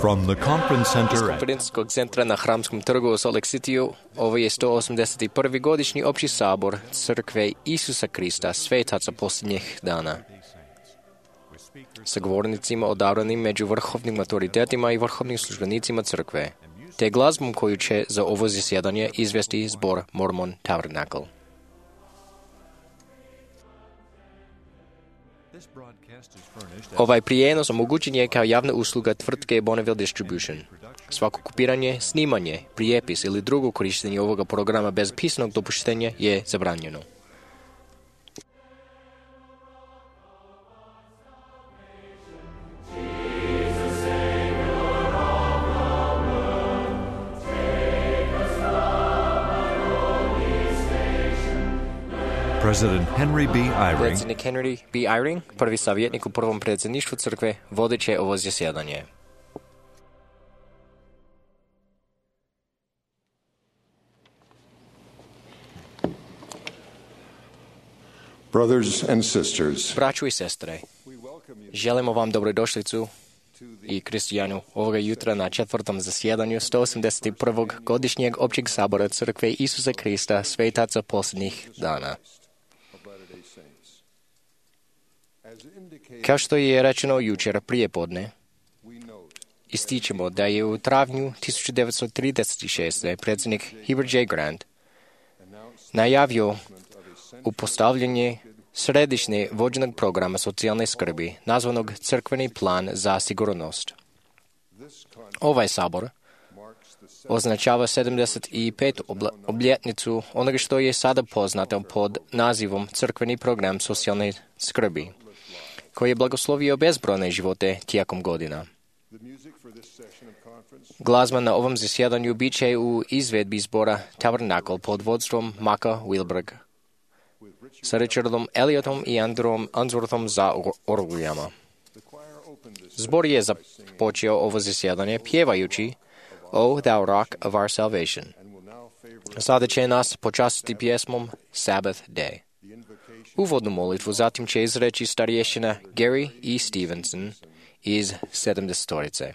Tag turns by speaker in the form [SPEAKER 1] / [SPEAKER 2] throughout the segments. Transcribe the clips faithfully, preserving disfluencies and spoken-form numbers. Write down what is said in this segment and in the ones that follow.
[SPEAKER 1] From the conference
[SPEAKER 2] Iz
[SPEAKER 1] center at
[SPEAKER 2] konferencijskog centra na Hramskom trgu u Salt Lake Cityu, ovo je sto osamdeset prvi godišnji opći sabor Crkve Isusa Krista, svetaca posljednjih dana. Sa govornicima odabranim među vrhovnim autoritetima i vrhovnim službenicima crkve, te glazbom koju će za ovo zasjedanje izvesti zbor Mormon Tabernacle. Ovaj prijenos omogućen je kao javna usluga tvrtke Bonneville Distribution. Svako kopiranje, snimanje, prijepis ili drugo korištenje ovoga programa bez pisanog dopuštenja je zabranjeno.
[SPEAKER 1] President Henry B. Eyring,
[SPEAKER 2] Predsjednik Henry B. Eyring, prvi savjetnik u prvom predsjedništvu crkve, vodit će ovo zasjedanje.
[SPEAKER 3] Brothers and sisters,
[SPEAKER 2] Braćo i sestre, želimo vam dobrodošlicu i kristijanu ovoga jutra na četvrtom zasjedanju sto osamdeset prvog godišnjeg općeg sabora Crkve Isusa Krista, svetaca posljednjih dana. Kao što je rečeno jučer prije podne, ističemo da je u travnju tisuću devetsto trideset šeste. predsjednik Heber J. Grant najavio upostavljanje središnje vođenog programa socijalne skrbi, nazvanog Crkveni plan za sigurnost. Ovaj sabor označava sedamdeset petu obljetnicu onoga što je sada poznato pod nazivom Crkveni program socijalne skrbi, koji je blagoslovio bezbrojne živote tijekom godina. Glazba na ovom zasjedanju bit će u izvedbi zbora Tabernacle pod vodstvom Maka Wilberg, sa Richardom Elliotom i Andrew Answorthom za orguljama. Zbor je započeo ovo zasjedanje pjevajući O Thou Rock of Our Salvation. Sada će nas počastiti pjesmom Sabbath Day. Uvodnu molitvu zatim će izreći starješina Gary E. Stevenson iz sedamdesetorice.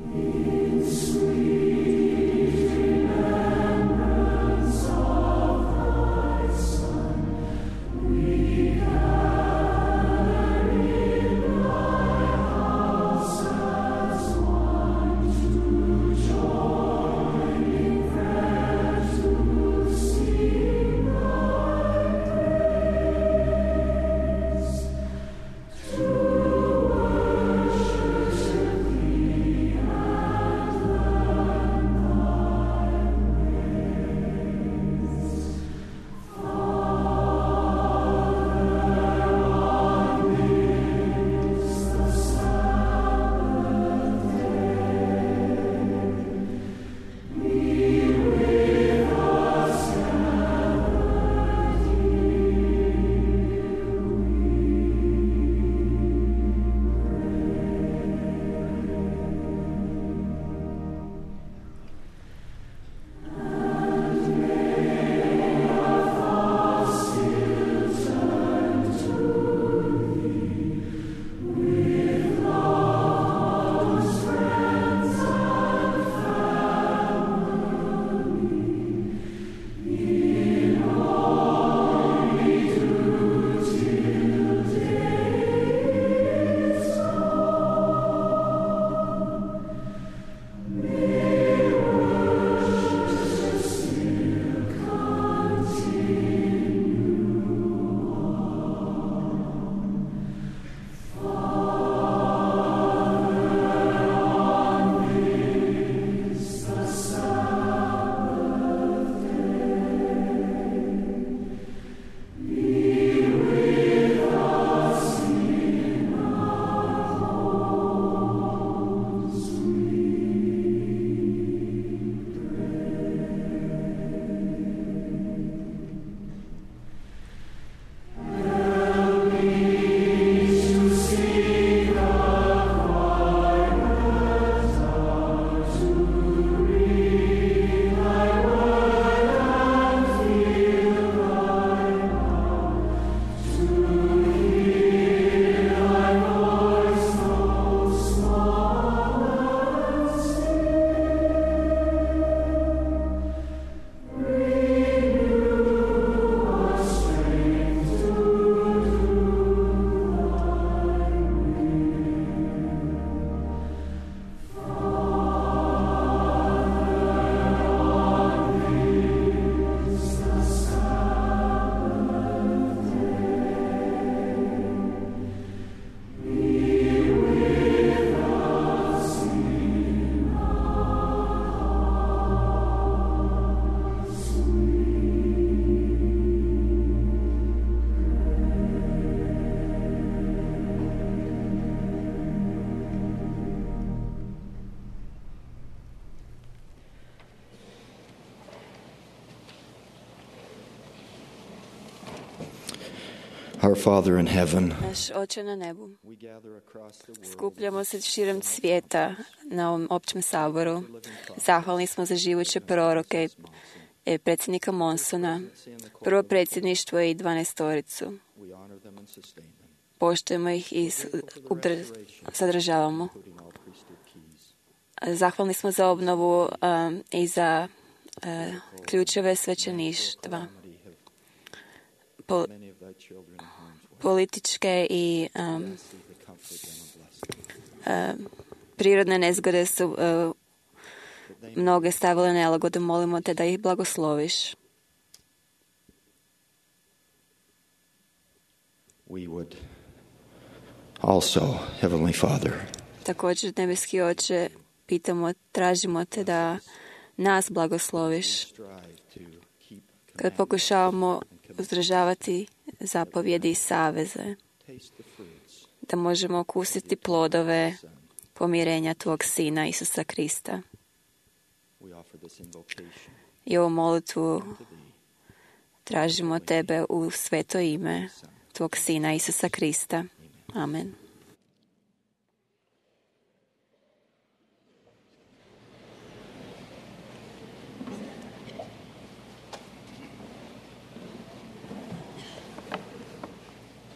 [SPEAKER 4] Yeah.
[SPEAKER 3] Our Father in heaven,
[SPEAKER 1] Naš Oče na nebu, skupljamo se širom svijeta na ovom općem saboru. Zahvalni smo za živuće proroke i predsjednika Monsona, prvo predsjedništvo i dvanaestoricu. Poštujemo ih i sadržavamo. Zahvalni smo za obnovu um, i za uh, ključeve svećeništva. Po, političke i um, uh, prirodne nezgode su uh, mnoge stavile nelagode. Molimo te da ih blagosloviš.
[SPEAKER 3] we would also, Heavenly Father,
[SPEAKER 1] Također, nebeski Oče, pitamo, tražimo te da nas blagosloviš kad pokušavamo uzdržavati zapovjedi i saveze, da možemo okusiti plodove pomirenja tvog Sina Isusa Krista. I ovu molitvu tražimo tebe u sveto ime tvog Sina Isusa Krista. Amen.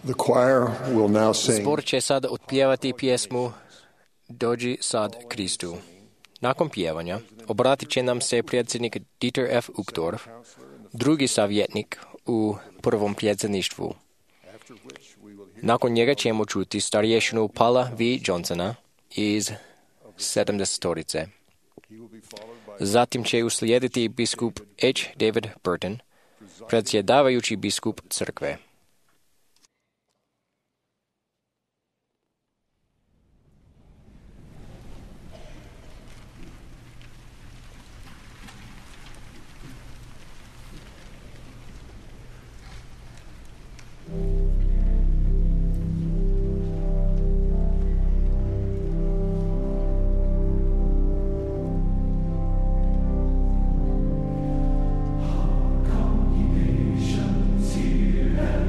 [SPEAKER 3] the choir will now sing.
[SPEAKER 2] Zbor će sad otpjevati pjesmu Dođi sad Kristu. Nakon pjevanja obratit će nam se predsjednik Dieter F. Uchtdorf, drugi savjetnik u prvom predsjedništvu. Nakon njega ćemo čuti starješinu Paula V. Johnsona iz sedamdesetorice. Zatim će uslijediti biskup H. David Burton, predsjedavajući biskup crkve.
[SPEAKER 4] Here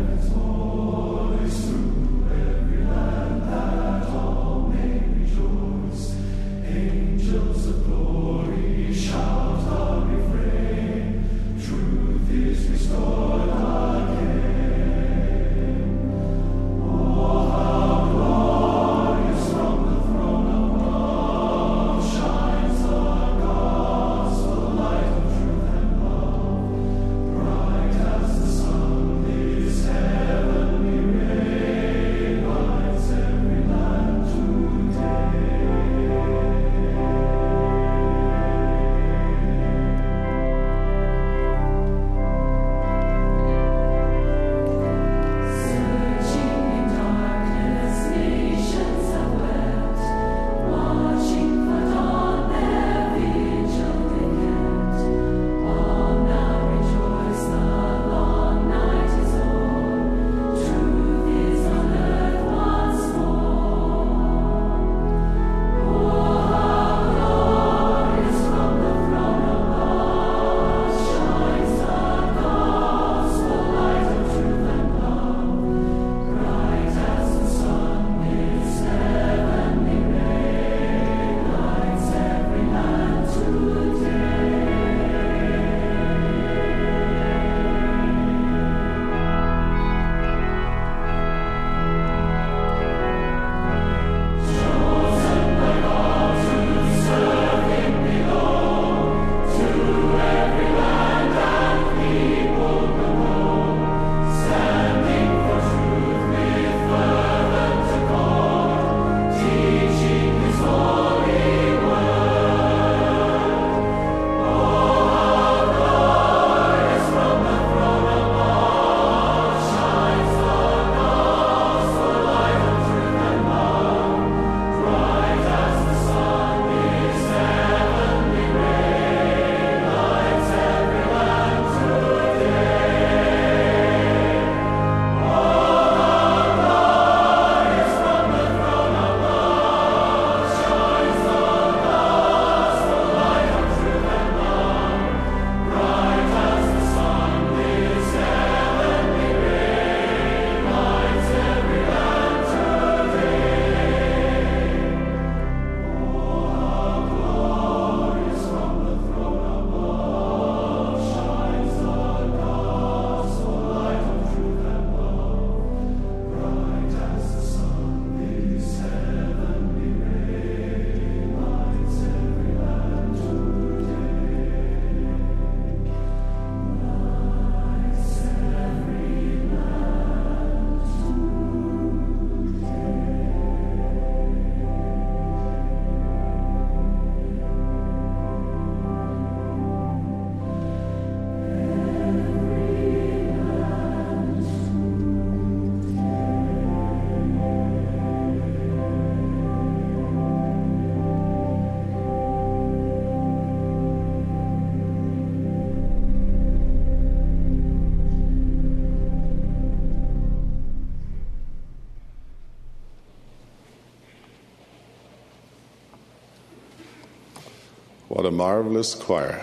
[SPEAKER 4] What a marvelous choir.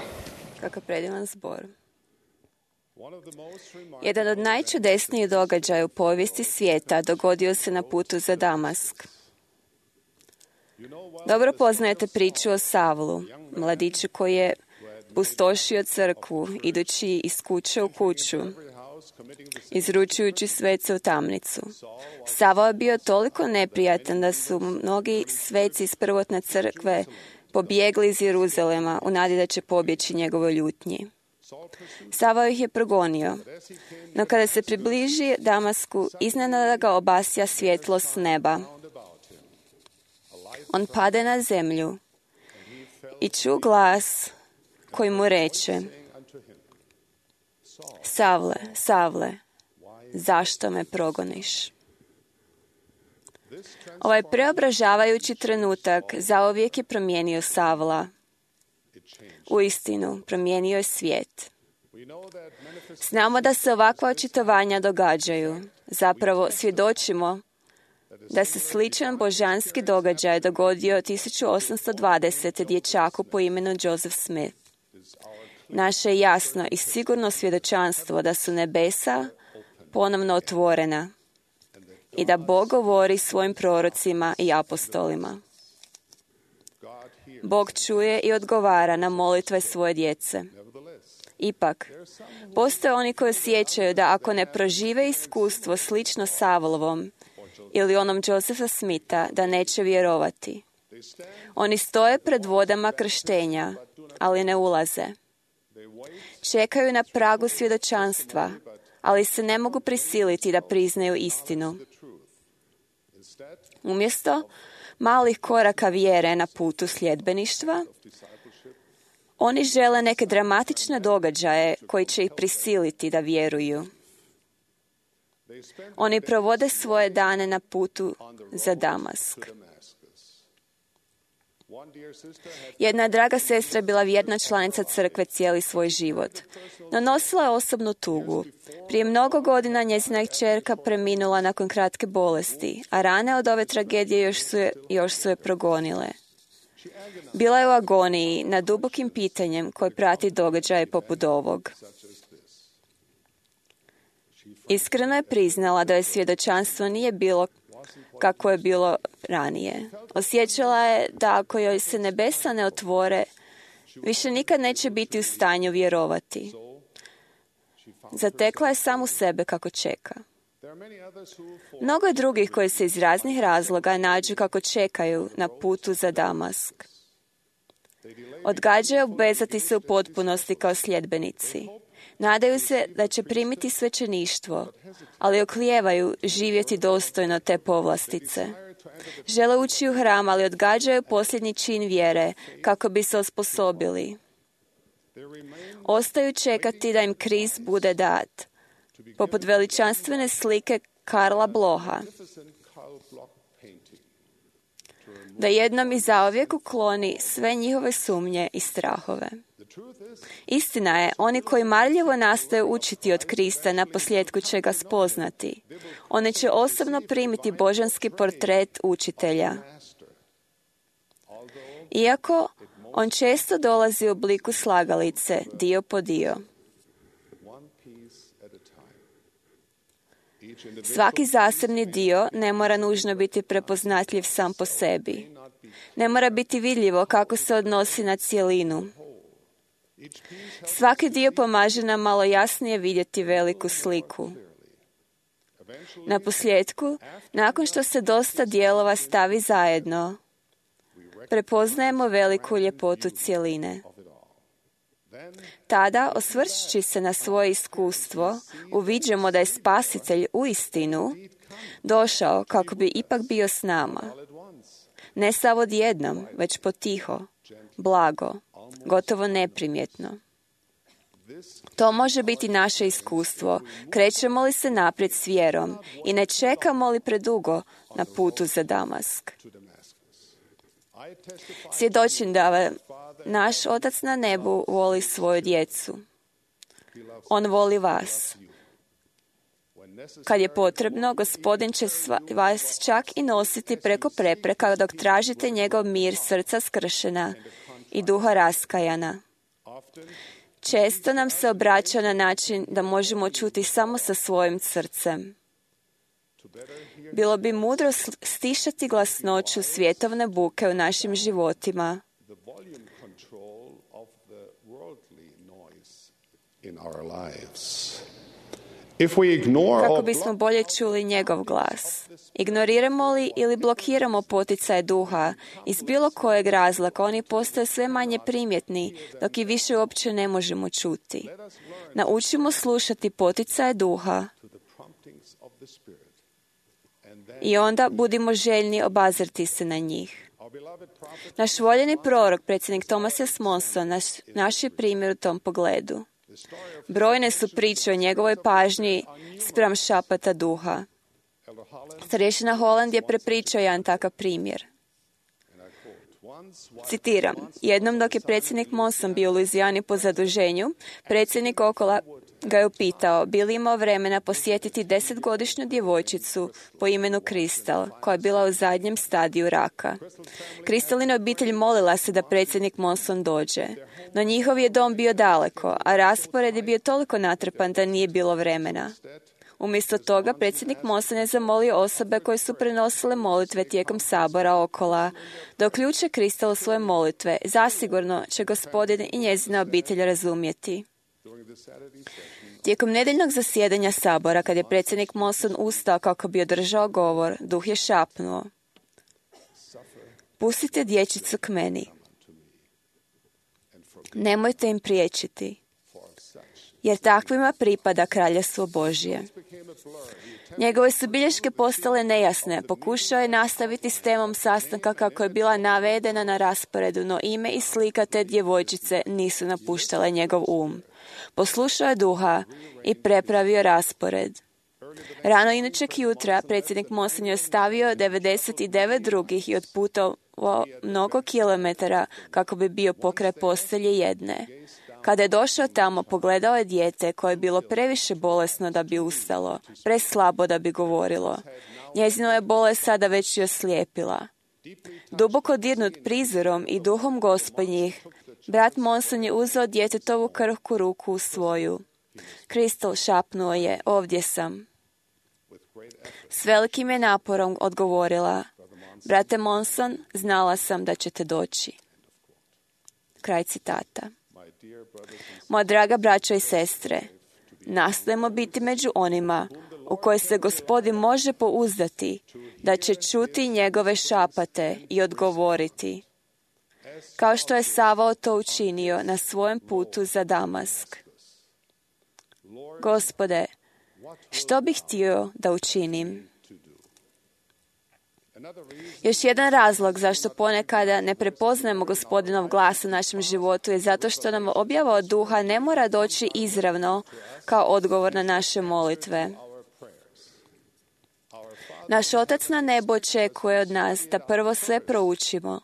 [SPEAKER 1] Kakav predivan zbor. Jedan od najčudesnijih događaja u povijesti svijeta dogodio se na putu za Damask. Dobro poznajete priču o Savlu, mladiću koji je pustošio crkvu, idući iz kuće u kuću, izručujući svece u tamnicu. Savao je bio toliko neprijatan da su mnogi sveci iz prvotne crkve pobjegli iz Jeruzalema u nadi da će pobjeći njegovoj ljutnji. Savao ih je progonio, no kada se približi Damasku, iznenada ga obasja svjetlo s neba. On pade na zemlju i ču glas koji mu reče: Savle, Savle, zašto me progoniš? Ovaj preobražavajući trenutak zauvijek je promijenio Savla. Uistinu, promijenio je svijet. Znamo da se ovakva očitovanja događaju. Zapravo, svjedočimo da se sličan božanski događaj dogodio tisuću osamsto dvadesete dječaku po imenu Joseph Smith. Naše je jasno i sigurno svjedočanstvo da su nebesa ponovno otvorena i da Bog govori svojim prorocima i apostolima. Bog čuje i odgovara na molitve svoje djece. Ipak, postoje oni koji osjećaju da ako ne prožive iskustvo slično Savlovom ili onom Josepha Smitha, da neće vjerovati. Oni stoje pred vodama krštenja, ali ne ulaze. Čekaju na pragu svjedočanstva, ali se ne mogu prisiliti da priznaju istinu. Umjesto malih koraka vjere na putu sljedbeništva, oni žele neke dramatične događaje koji će ih prisiliti da vjeruju. Oni provode svoje dane na putu za Damask. Jedna draga sestra je bila vjerna članica crkve cijeli svoj život, no nosila je osobnu tugu. Prije mnogo godina njezina kćerka preminula nakon kratke bolesti, a rane od ove tragedije još su je, još su je progonile. Bila je u agoniji nad dubokim pitanjem koje prati događaje poput ovog. Iskreno je priznala da joj svjedočanstvo nije bilo kako je bilo ranije. Osjećala je da ako joj se nebesa ne otvore, više nikad neće biti u stanju vjerovati. Zatekla je samu sebe kako čeka. Mnogo je drugih koji se iz raznih razloga nađu kako čekaju na putu za Damask. Odgađaju obvezati se u potpunosti kao sljedbenici. Nadaju se da će primiti svećeništvo, ali oklijevaju živjeti dostojno te povlastice. Žele ući u hram, ali odgađaju posljednji čin vjere kako bi se osposobili. Ostaju čekati da im kriz bude dat, poput veličanstvene slike Karla Bloha, da jednom i zauvijek ukloni sve njihove sumnje i strahove. Istina je, oni koji marljivo nastoje učiti od Krista na posljedku će ga spoznati. Oni će osobno primiti božanski portret učitelja. Iako on često dolazi u obliku slagalice, dio po dio. Svaki zasebni dio ne mora nužno biti prepoznatljiv sam po sebi. Ne mora biti vidljivo kako se odnosi na cjelinu. Svaki dio pomaže nam malo jasnije vidjeti veliku sliku. Na posljedku, nakon što se dosta dijelova stavi zajedno, prepoznajemo veliku ljepotu cjeline. Tada, osvrćući se na svoje iskustvo, uviđamo da je Spasitelj uistinu došao kako bi ipak bio s nama. Ne sav odjednom, već potiho, blago, gotovo neprimjetno. To može biti naše iskustvo. Krećemo li se naprijed s vjerom i ne čekamo li predugo na putu za Damask. Svjedočim da naš Otac na nebu voli svoju djecu. On voli vas. Kad je potrebno, Gospodin će vas čak i nositi preko prepreka dok tražite njegov mir srca skršena i duha raskajana. Često nam se obraća na način da možemo čuti samo sa svojim srcem. Bilo bi mudro stišati glasnoću svjetovne buke u našim životima. Kako bismo bolje čuli njegov glas. Ignoriramo li ili blokiramo poticaje duha, iz bilo kojeg razloga oni postaju sve manje primjetni, dok i više uopće ne možemo čuti. Naučimo slušati poticaje duha i onda budimo željni obazrti se na njih. Naš voljeni prorok, predsjednik Thomas S. Monson, naš, naš je primjer u tom pogledu. Brojne su priče o njegovoj pažnji spram šapata duha. Starješina Holland je prepričao jedan takav primjer. Citiram, jednom dok je predsjednik Monson bio u Luizijani po zaduženju, predsjednik Okola ga je upitao bi li imao vremena posjetiti desetgodišnju djevojčicu po imenu Kristal, koja je bila u zadnjem stadiju raka. Kristalina obitelj molila se da predsjednik Monson dođe, no njihov je dom bio daleko, a raspored je bio toliko natrpan da nije bilo vremena. Umjesto toga, predsjednik Monson je zamolio osobe koje su prenosile molitve tijekom sabora Okola da uključe Kristal u svoje molitve. Zasigurno će Gospodin i njezina obitelj razumjeti. Tijekom nedjeljnog zasjedanja sabora, kad je predsjednik Monson ustao kako bi održao govor, duh je šapnuo: pustite dječicu k meni. Nemojte im priječiti, jer takvima pripada Kraljevstvo Božje. Njegove su bilješke postale nejasne. Pokušao je nastaviti s temom sastanka kako je bila navedena na rasporedu, no ime i slika te djevojčice nisu napuštale njegov um. Poslušao je duha i prepravio raspored. Rano idućeg jutra predsjednik Monson je ostavio devedeset devet drugih i odputovao mnogo kilometara kako bi bio pokraj postelje jedne. Kada je došao tamo, pogledao je dijete koje je bilo previše bolesno da bi ustalo, preslabo da bi govorilo. Njezino je bolest sada već i oslijepila. Duboko dirnut prizorom i duhom Gospodnjih, brat Monson je uzeo djetetovu krhku ruku u svoju. Kristal, šapnuo je, ovdje sam. S velikim je naporom odgovorila: brate Monson, znala sam da ćete doći. Kraj citata. Moja draga braćo i sestre, nastojimo biti među onima u koje se Gospodin može pouzdati da će čuti njegove šapate i odgovoriti, kao što je Savao to učinio na svojem putu za Damask. Gospode, što bih htio da učinim? Još jedan razlog zašto ponekada ne prepoznajemo Gospodinov glas u našem životu je zato što nam objava od duha ne mora doći izravno kao odgovor na naše molitve. Naš Otac na nebu očekuje od nas da prvo sve proučimo,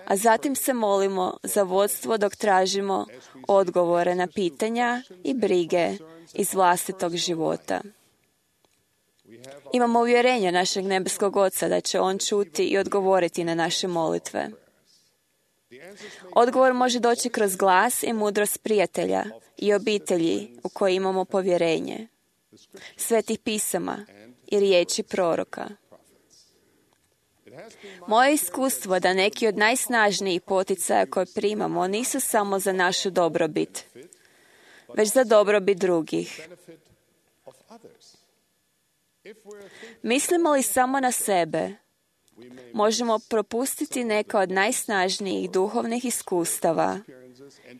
[SPEAKER 1] a zatim se molimo za vodstvo dok tražimo odgovore na pitanja i brige iz vlastitog života. Imamo uvjerenje našeg nebeskog Oca da će On čuti i odgovoriti na naše molitve. Odgovor može doći kroz glas i mudrost prijatelja i obitelji u koje imamo povjerenje, svetih pisama i riječi proroka. Moje iskustvo da neki od najsnažnijih poticaja koje primamo nisu samo za našu dobrobit, već za dobrobit drugih. Mislimo li samo na sebe, možemo propustiti neka od najsnažnijih duhovnih iskustava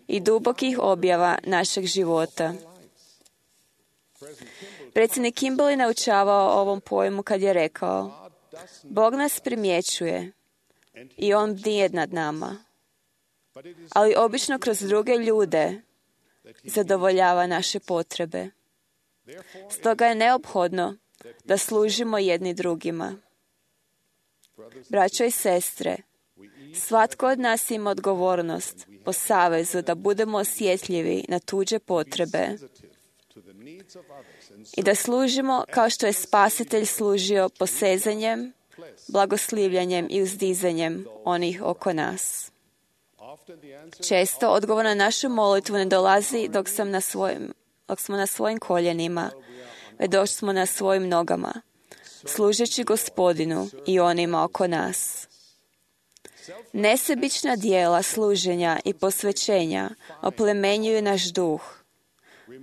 [SPEAKER 1] i dubokih objava našeg života. Predsjednik Kimball je naučavao o ovom pojmu kad je rekao: Bog nas primjećuje i On bdije nad nama, ali obično kroz druge ljude zadovoljava naše potrebe. Stoga je neophodno da služimo jedni drugima. Braćo i sestre, svatko od nas ima odgovornost po savezu da budemo osjetljivi na tuđe potrebe i da služimo kao što je Spasitelj služio posezanjem, blagoslivljanjem i uzdizanjem onih oko nas. Često odgovor na našu molitvu ne dolazi dok, sam na svojim, dok smo na svojim koljenima, već dok smo na svojim nogama, služeći Gospodinu i onima oko nas. Nesebična dijela služenja i posvećenja oplemenjuju naš duh,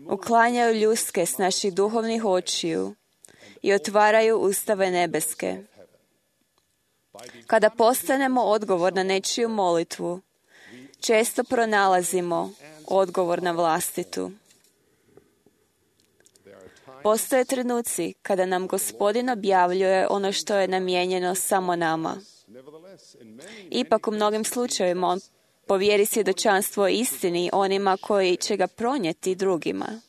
[SPEAKER 1] uklanjaju ljuske s naših duhovnih očiju i otvaraju ustave nebeske. Kada postanemo odgovor na nečiju molitvu, često pronalazimo odgovor na vlastitu. Postoje trenuci kada nam Gospodin objavljuje ono što je namijenjeno samo nama. Ipak u mnogim slučajevima on povjeri svjedočanstvo o istini onima koji će ga pronijeti drugima.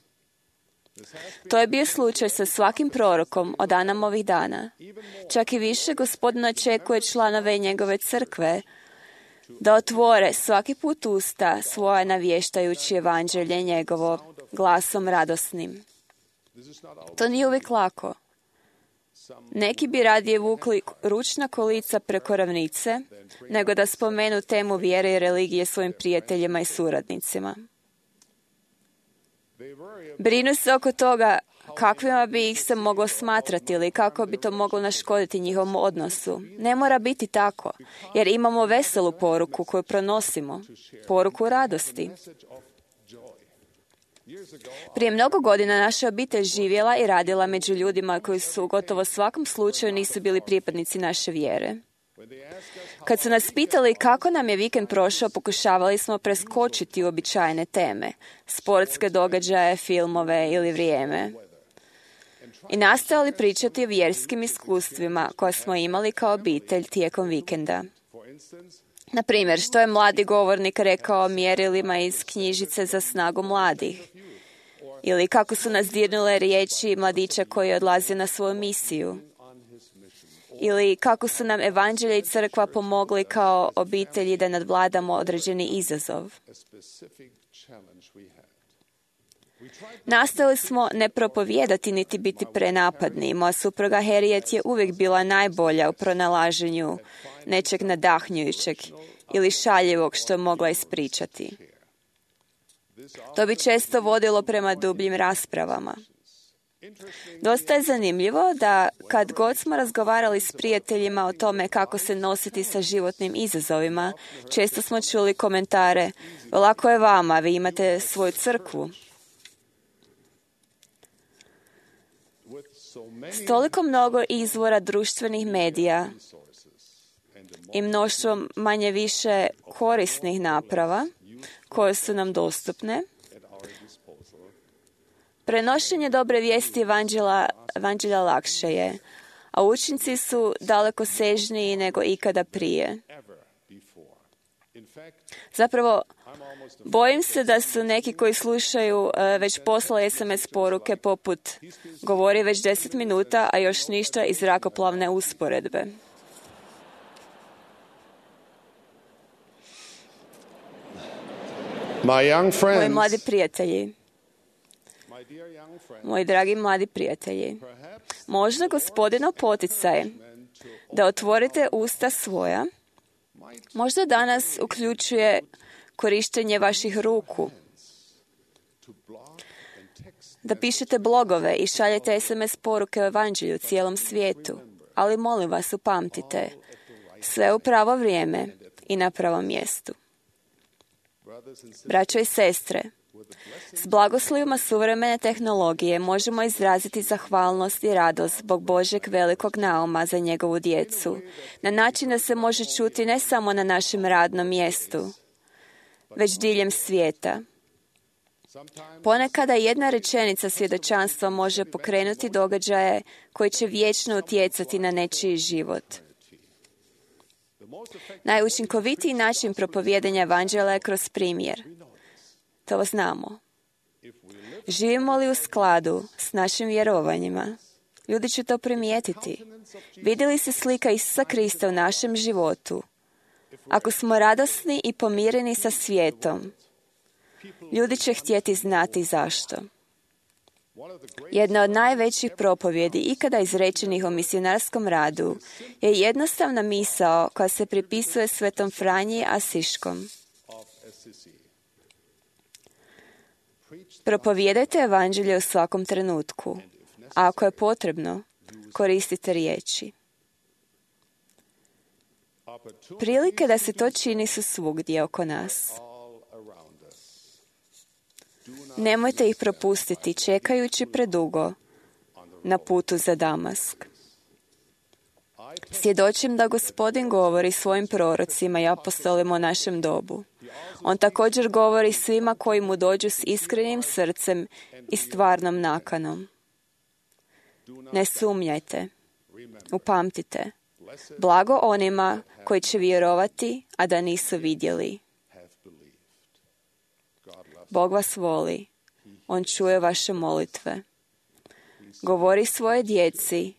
[SPEAKER 1] To je bio slučaj sa svakim prorokom od Adamovih dana. Čak i više Gospodin očekuje članove njegove crkve da otvore svaki put usta svoja navještajući evanđelje njegovo glasom radosnim. To nije uvijek lako. Neki bi radije vukli ručna kolica preko ravnice, nego da spomenu temu vjere i religije svojim prijateljima i suradnicima. Brinu se oko toga kakvima bi ih se moglo smatrati ili kako bi to moglo naškoditi njihovom odnosu. Ne mora biti tako, jer imamo veselu poruku koju pronosimo, poruku radosti. Prije mnogo godina naša obitelj živjela i radila među ljudima koji su u gotovo svakom slučaju nisu bili pripadnici naše vjere. Kad su nas pitali kako nam je vikend prošao, pokušavali smo preskočiti uobičajene teme, sportske događaje, filmove ili vrijeme. I nastojali pričati o vjerskim iskustvima koje smo imali kao obitelj tijekom vikenda. Na primjer, što je mladi govornik rekao o mjerilima iz knjižice za snagu mladih? Ili kako su nas dirnule riječi mladića koji odlazi na svoju misiju? Ili kako su nam evanđelje i crkva pomogli kao obitelji da nadvladamo određeni izazov? Nastojali smo ne propovijedati niti biti prenapadni. Moja supruga Harriet je uvijek bila najbolja u pronalaženju nečeg nadahnjujućeg ili šaljivog što je mogla ispričati. To bi često vodilo prema dubljim raspravama. Dosta je zanimljivo da kad god smo razgovarali s prijateljima o tome kako se nositi sa životnim izazovima, često smo čuli komentare: lako je vama, vi imate svoju crkvu. S toliko mnogo izvora društvenih medija i mnoštvom manje više korisnih naprava koje su nam dostupne, prenošenje dobre vijesti evanđelja, evanđelja lakše je, a učinci su daleko sežniji nego ikada prije. Zapravo, bojim se da su neki koji slušaju uh, već poslali es em es poruke poput govori već deset minuta, a još ništa iz zrakoplovne usporedbe. Moji mladi prijatelji, moji dragi mladi prijatelji, možda Gospodinov poticaj da otvorite usta svoja, možda danas uključuje korištenje vaših ruku, da pišete blogove i šaljete es em es poruke o evanđelju cijelom svijetu, ali molim vas, upamtite, sve u pravo vrijeme i na pravom mjestu. Braćo i sestre, s blagoslovima suvremene tehnologije možemo izraziti zahvalnost i radost zbog Božjeg velikog nauma za njegovu djecu, na način da se može čuti ne samo na našem radnom mjestu, već diljem svijeta. Ponekada jedna rečenica svjedočanstva može pokrenuti događaje koji će vječno utjecati na nečiji život. Najučinkovitiji način propovijedanja evanđelja je kroz primjer. To znamo. Živimo li u skladu s našim vjerovanjima? Ljudi će to primijetiti. Vidi li se slika Isusa Krista u našem životu? Ako smo radosni i pomireni sa svijetom, ljudi će htjeti znati zašto. Jedna od najvećih propovjedi ikada izrečenih o misionarskom radu je jednostavna misao koja se pripisuje svetom Franji Asiškom. Propovijedajte evanđelje u svakom trenutku. A ako je potrebno, koristite riječi. Prilike da se to čini su svugdje oko nas. Nemojte ih propustiti čekajući predugo na putu za Damask. Svjedočim da Gospodin govori svojim prorocima i apostolima o našem dobu. On također govori svima koji mu dođu s iskrenim srcem i stvarnom nakanom. Ne sumnjajte. Upamtite. Blago onima koji će vjerovati, a da nisu vidjeli. Bog vas voli. On čuje vaše molitve. Govori svoje djeci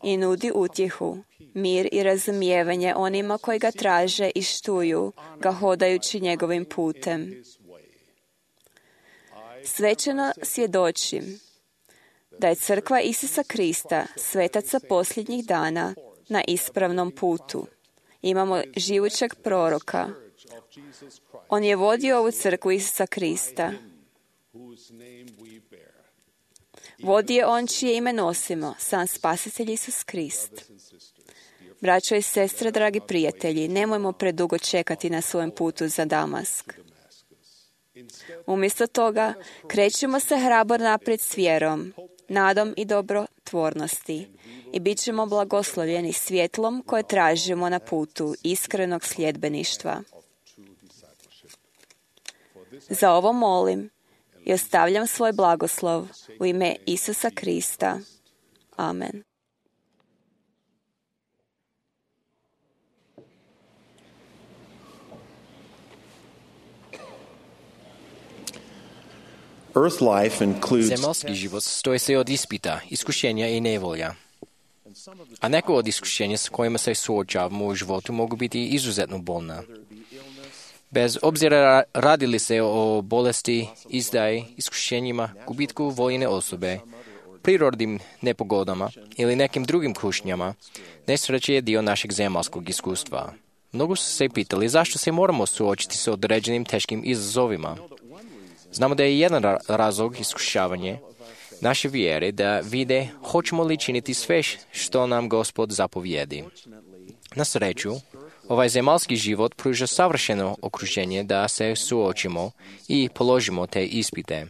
[SPEAKER 1] i nudi utjehu, mir i razumijevanje onima koji ga traže i štuju ga hodajući njegovim putem. Svećeno svjedočim da je crkva Isusa Krista, svetaca posljednjih dana, na ispravnom putu. Imamo živućeg proroka. On je vodio ovu crkvu Isusa Krista. Vodi je on čije ime nosimo, sam Spasitelj Isus Krist. Braćo i sestre, dragi prijatelji, nemojmo predugo čekati na svojem putu za Damask. Umjesto toga, krećemo se hrabro naprijed s vjerom, nadom i dobrotvornosti i bit ćemo blagoslovljeni svjetlom koje tražimo na putu iskrenog sljedbeništva. Za ovo molim i ostavljam svoj blagoslov u ime Isusa Krista. Amen.
[SPEAKER 3] Earth life includes
[SPEAKER 2] Zemaljski život stoji se od ispita, iskušenja i nevolja. A neko od iskušenja s kojima se suočavamo u životu mogu biti izuzetno bolna. Bez obzira radi li se o bolesti, izdaji, iskušenjima, gubitku voljene osobe, prirodnim nepogodama ili nekim drugim kušnjama, nesreće je dio našeg zemaljskog iskustva. Mnogo su se pitali zašto se moramo suočiti s određenim teškim izazovima. Znamo da je jedan razlog iskušavanje naše vjere da vide hoćemo li činiti sve što nam Gospod zapovjedi. Na sreću, ovaj zemaljski život pruža savršeno okruženje da se suočimo i položimo te ispite.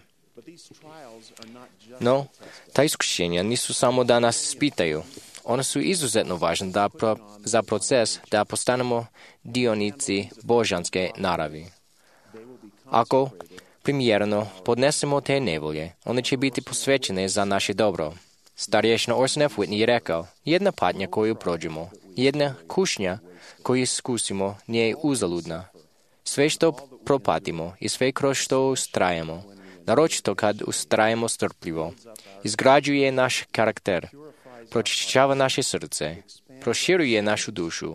[SPEAKER 2] No, ta iskušenja nisu samo da nas ispitaju. One su izuzetno važne da pro, za proces da postanemo dionici božanske naravi. Ako primjerno podnesemo te nevolje, one će biti posvećene za naše dobro. Starješna Orson F. Whitney je rekao, jedna patnja koju prođemo, jedna kušnja koju iskusimo nije uzaludna. Sve što propatimo i sve kroz što ustrajemo, naročito kad ustrajemo strpljivo, izgrađuje naš karakter, pročišćava naše srce, proširuje našu dušu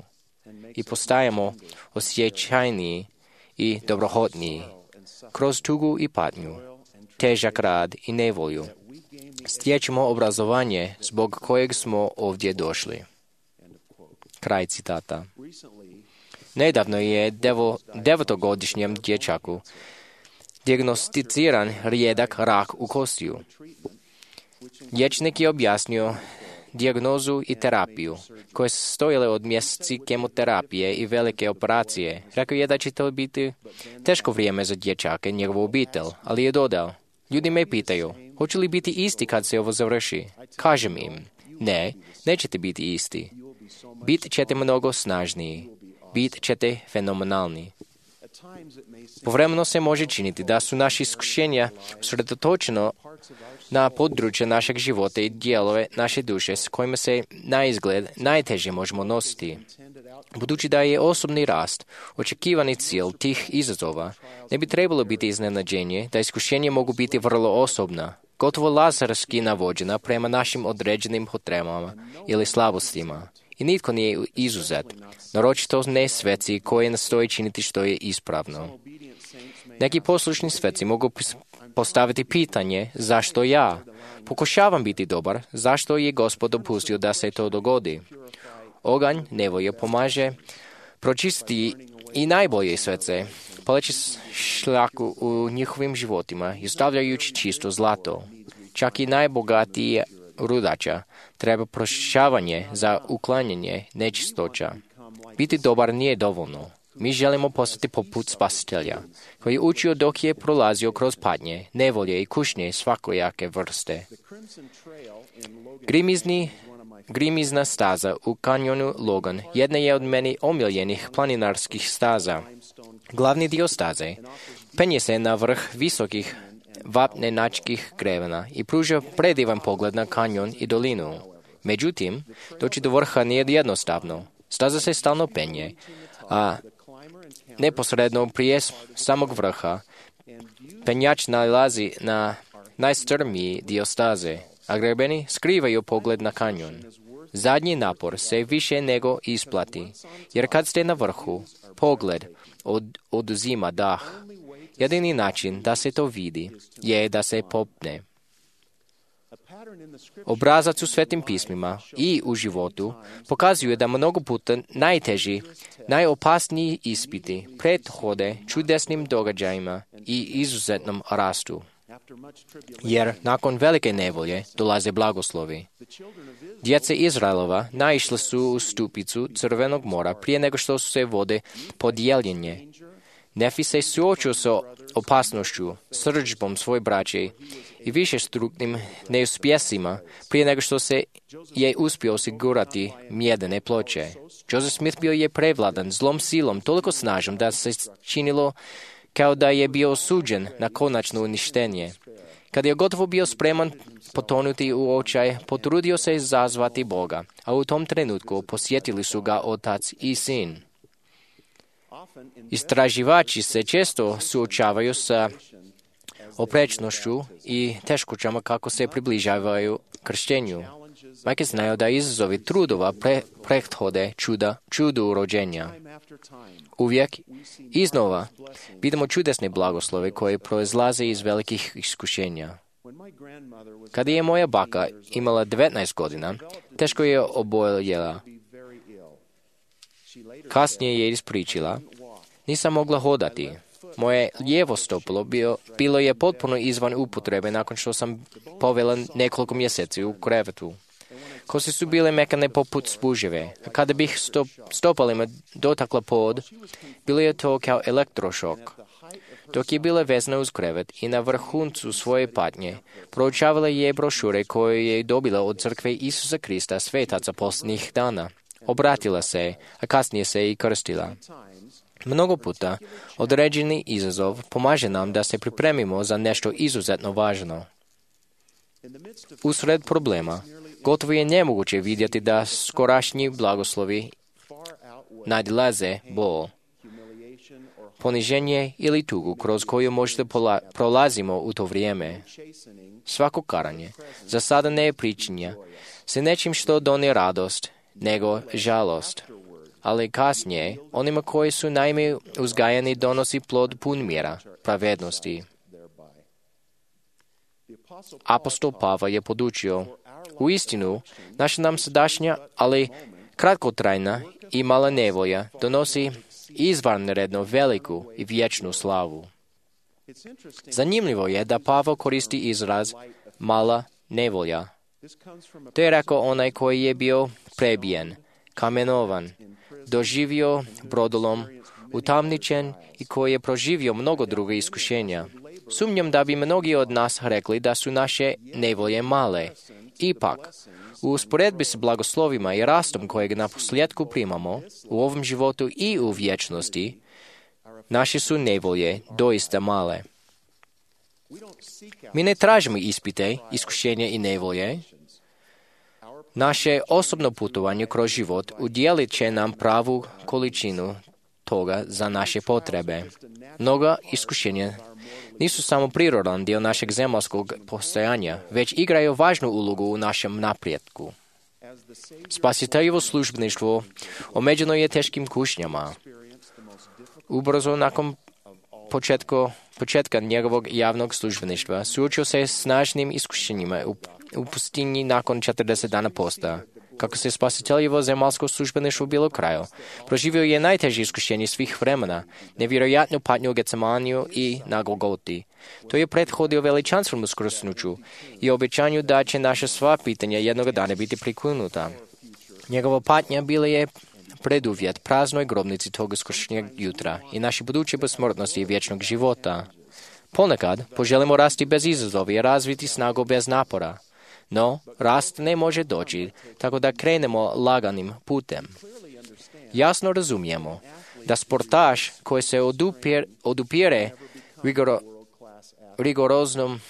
[SPEAKER 2] i postajemo osjećajniji i dobrohotniji. Kroz tugu i patnju, težak rad i nevolju, stječemo obrazovanje zbog kojeg smo ovdje došli. Kraj citata. Nedavno je devo, devetogodišnjem dječaku dijagnosticiran rijedak rak u kostiju. Liječnik je objasnio dijagnozu i terapiju, koje su stojile od mjeseci kemoterapije i velike operacije. Rekao je da će to biti teško vrijeme za dječaka i njegovu obitelj, ali je dodao, ljudi me pitaju, hoće li biti isti kad se ovo završi? Kažem im, ne, nećete biti isti. Bit ćete mnogo snažniji, bit ćete fenomenalni. Povremeno se može činiti da su naši iskušenja usredotočeno na područje našeg života i dijelove naše duše s kojima se na izgled najteže možemo nositi. Budući da je osobni rast očekivani cilj tih izazova, ne bi trebalo biti iznenađenje da iskušenja mogu biti vrlo osobna, gotovo lazarski navođena prema našim određenim potrebama ili slabostima. I nitko nije izuzet, naročito ne sveci koji nastoje činiti što je ispravno. Neki poslušni sveci mogu postaviti pitanje zašto ja pokušavam biti dobar, zašto je Gospod dopustio da se to dogodi. Oganj nevolje pomaže pročistiti i najbolje svece, paleći šljaku u njihovim životima i stavljajući čisto zlato. Čak i najbogatiji rudača treba pročišćavanje za uklanjanje nečistoća. Biti dobar nije dovoljno. Mi želimo postati poput Spasitelja, koji je učio dok je prolazio kroz patnje, nevolje i kušnje svakojake vrste. Grimizni, grimizna staza u kanjonu Logan jedna je od meni omiljenih planinarskih staza. Glavni dio staze penje se na vrh visokih vapnenačkih krevena i pruža predivan pogled na kanjon i dolinu. Međutim, doći do vrha nije jednostavno. Staza se stalno penje, a neposredno prije samog vrha penjač nalazi na najstrmiji dio staze, a grebeni skrivaju pogled na kanjon. Zadnji napor se više nego isplati, jer kad ste na vrhu, pogled od, oduzima dah. Jedini način da se to vidi je da se popne. Obrazac u Svetim pismima i u životu pokazuje da mnogo puta najteži, najopasniji ispiti prethode čudesnim događajima i izuzetnom rastu. Jer nakon velike nevolje dolaze blagoslovi. Djece Izraelova naišle su u stupicu Crvenog mora prije nego što su se vode podijeljenje. Nefi se suočio sa opasnošću, srdžbom svoje braće i višestruknim neuspjesima prije nego što se je uspio osigurati mjedene ploče. Joseph Smith bio je prevladan zlom silom toliko snažnom da se činilo kao da je bio osuđen na konačno uništenje. Kad je gotovo bio spreman potonuti u očaj, potrudio se izazvati Boga, a u tom trenutku posjetili su ga otac i sin. Istraživači se često suočavaju sa oprečnošću i teškoćama kako se približavaju krštenju. Majke znaju da izazovi trudova pre, prethode čuda, čudu rođenja. Uvijek iznova vidimo čudesne blagoslove koje proizlaze iz velikih iskušenja. Kada je moja baka imala devetnaest godina, teško je oboljela. Kasnije je ispričila, nisam mogla hodati. Moje lijevo stopalo bio, bilo je potpuno izvan upotrebe nakon što sam povela nekoliko mjeseci u krevetu. Kosti su bile mekane poput spuževe, a kada bih stop, stopalima dotakla pod, bilo je to kao elektrošok. Dok je bila vezana uz krevet i na vrhuncu svoje patnje, proučavala je brošure koje je dobila od crkve Isusa Krista svetaca posljednjih dana. Obratila se, a kasnije se i krstila. Mnogo puta određeni izazov pomaže nam da se pripremimo za nešto izuzetno važno. Usred problema, gotovo je nemoguće vidjeti da skorašnji blagoslovi nadilaze bol, poniženje ili tugu kroz koju možda pola, prolazimo u to vrijeme. Svako karanje za sada ne je pričinja se nečim što doni radost, nego žalost. Ali kasnije, onima koji su naime uzgajani donosi plod pun mira, pravednosti. Apostol Pavle je podučio, u istinu, naša nam sadašnja, ali kratkotrajna i mala nevolja donosi izvanredno veliku i vječnu slavu. Zanimljivo je da Pavle koristi izraz mala nevolja. To je rekao onaj koji je bio prebijen, kamenovan, doživio brodolom, utamničen i koji je proživio mnogo drugih iskušenja. Sumnjam da bi mnogi od nas rekli da su naše nevolje male. Ipak, u usporedbi s blagoslovima i rastom kojeg na posljedku primamo u ovom životu i u vječnosti, naše su nevolje doista male. Mi ne tražimo ispite, iskušenja i nevolje. Naše osobno putovanje kroz život udjelit će nam pravu količinu toga za naše potrebe. Mnoga iskušenja nisu samo prirodan dio našeg zemaljskog postojanja, već igraju važnu ulogu u našem napretku. Spasiteljevo službeništvo omeđeno je teškim kušnjama. Ubrzo nakon početka, početka njegovog javnog službeništva suočio se s snažnim iskušenjima u, u pustinji nakon četrdeset dana posta. Kako se spasiteljevo zemaljsko službeništvo bilo kraju, proživio je najteže iskušenje svih vremena, nevjerojatnu patnju u Getsemaniju i na Golgoti. To je prethodio veličanstvenom uskrsnuću i obećanju da će naša sva pitanja jednog dana biti priklinuta. Njegova patnja bila je preduvjet praznoj grobnici tog uskršnjeg jutra i naše buduće besmrtnosti i vječnog života. Ponekad poželimo rasti bez izazova i razviti snagu bez napora. No, rast ne može doći, tako da krenemo laganim putem. Jasno razumijemo da sportaš koji se odupire, odupire rigoro, rigoroznom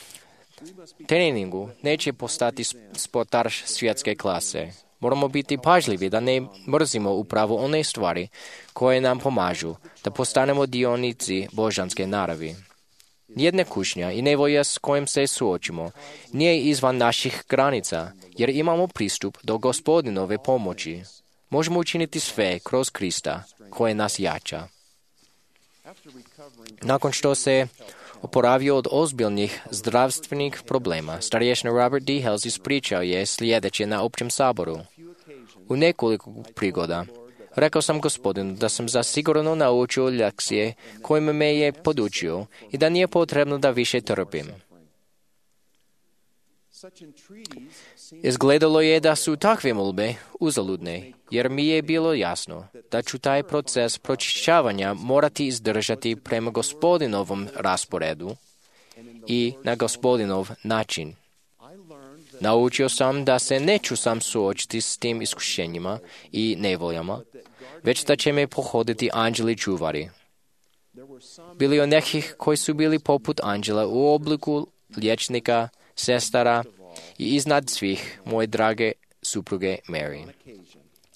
[SPEAKER 2] treningu neće postati sportaš svjetske klase. Moramo biti pažljivi da ne mrzimo upravo one stvari koje nam pomažu da postanemo dionici božanske naravi. Nijedna kušnja i nevolja s kojim se suočimo nije izvan naših granica, jer imamo pristup do Gospodinove pomoći. Možemo učiniti sve kroz Krista, koje nas jača. Nakon što se oporavio od ozbiljnih zdravstvenih problema, starješina Robert D. Hales ispričao je sljedeće na općem saboru. U nekoliko prigoda rekao sam Gospodinu da sam zasigurno naučio lekcije kojima me je podučio i da nije potrebno da više trpim. Izgledalo je da su takve molbe uzaludne, jer mi je bilo jasno da ću taj proces pročišćavanja morati izdržati prema Gospodinovom rasporedu i na Gospodinov način. Naučio sam da se neću sam suočiti s tim iskušenjima i nevoljama, već da će me pohoditi anđeli čuvari. Bili je nekih koji su bili poput anđela u obliku liječnika, sestara i iznad svih moje drage supruge Mary.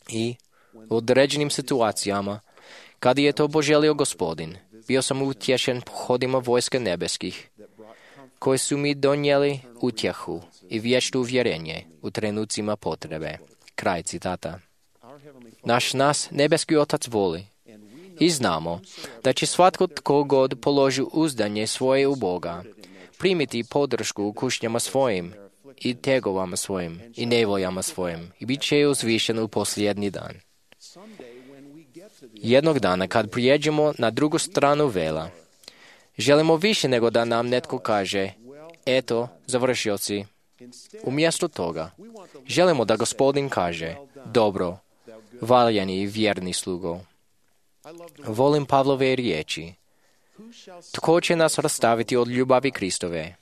[SPEAKER 2] I u određenim situacijama, kada je to poželio Gospodin, bio sam utješen pohodima vojske nebeskih, koji su mi donijeli utjehu i vječno uvjerenje u trenucima potrebe. Kraj citata. Naš nas nebeski Otac voli i znamo da će svatko tko god položi uzdanje svoje u Boga primiti podršku u kušnjama svojim i tegovama svojim i nevoljama svojim i bit će uzvišen u posljednji dan. Jednog dana kad prijeđemo na drugu stranu vela, želimo više nego da nam netko kaže, eto, završio si. Umjesto toga, želimo da Gospodin kaže, dobro, valjani i vjerni slugo. Volim Pavlove riječi. Tko će nas rastaviti od ljubavi Kristove?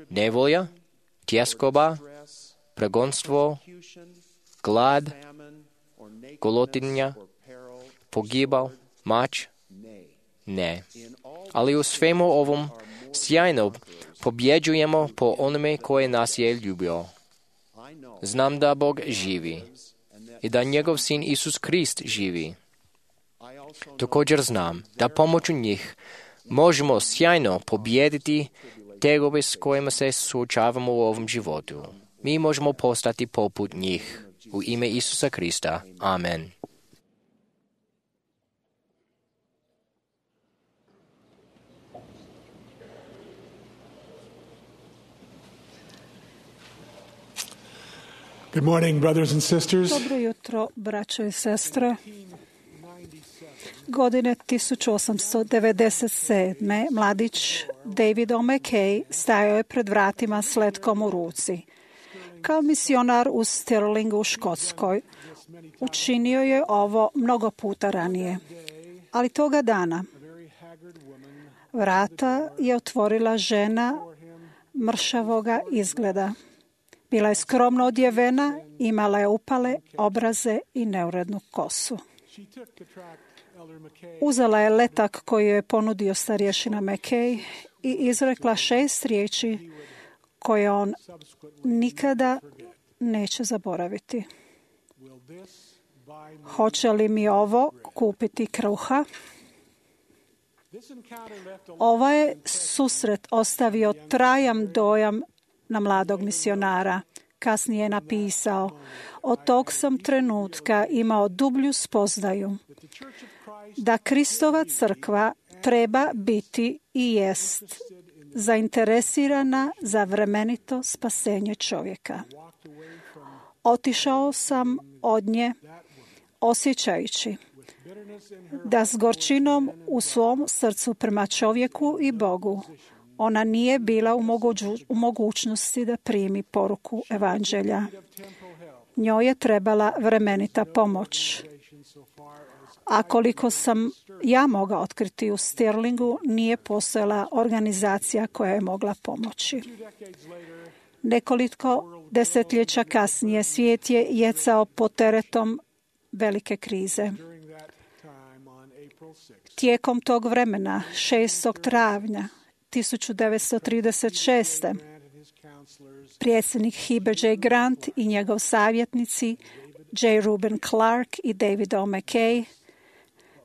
[SPEAKER 2] Nevolja, tjeskoba, pregonstvo, glad, golotinja, pogibal, mač? Ne. Ali u svemu ovom sjajno pobjeđujemo po onome koje nas je ljubio. Znam da Bog živi i da njegov sin Isus Krist živi. Također znam da pomoću njih možemo sjajno pobijediti tegobe s kojima se suočavamo u ovom životu. Mi možemo postati poput njih. U ime Isusa Krista. Amen.
[SPEAKER 4] Good morning, brothers and sisters.
[SPEAKER 5] Dobro jutro, braćo i sestre. Godine tisuću osamsto devedeset sedme. mladić David O'Mackey stajao je pred vratima s letkom u ruci. Kao misionar u Stirlingu u Škotskoj učinio je ovo mnogo puta ranije. Ali toga dana vrata je otvorila žena mršavoga izgleda. Bila je skromno odjevena, imala je upale obraze i neurednu kosu. Uzela je letak koji je ponudio starješina Mackay i izrekla šest riječi koje on nikada neće zaboraviti. Hoće li mi ovo kupiti kruha? Ovaj je susret ostavio trajan dojam na mladog misionara. Kasnije je napisao, od tog sam trenutka imao dublju spoznaju da Kristova crkva treba biti i jest zainteresirana za vremenito spasenje čovjeka. Otišao sam od nje osjećajući da s gorčinom u svom srcu prema čovjeku i Bogu ona nije bila u, moguću, u mogućnosti da primi poruku evanđelja. Njoj je trebala vremenita pomoć. A koliko sam ja mogla otkriti u Stirlingu, nije postojala organizacija koja je mogla pomoći. Nekoliko desetljeća kasnije svijet je jecao pod teretom velike krize. Tijekom tog vremena, šestog travnja tisuću devetsto trideset šeste. predsjednik Heber J. Grant i njegov savjetnici J. Reuben Clark i David O. McKay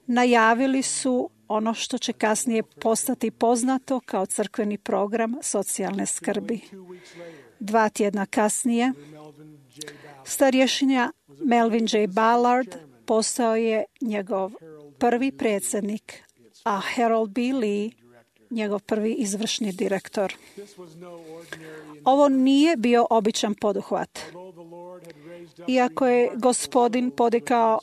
[SPEAKER 5] najavili su ono što će kasnije postati poznato kao crkveni program socijalne skrbi. Dva tjedna kasnije, starješinja Melvin J. Ballard postao je njegov prvi predsjednik, a Harold B. Lee njegov prvi izvršni direktor. Ovo nije bio običan poduhvat. Iako je Gospodin podigao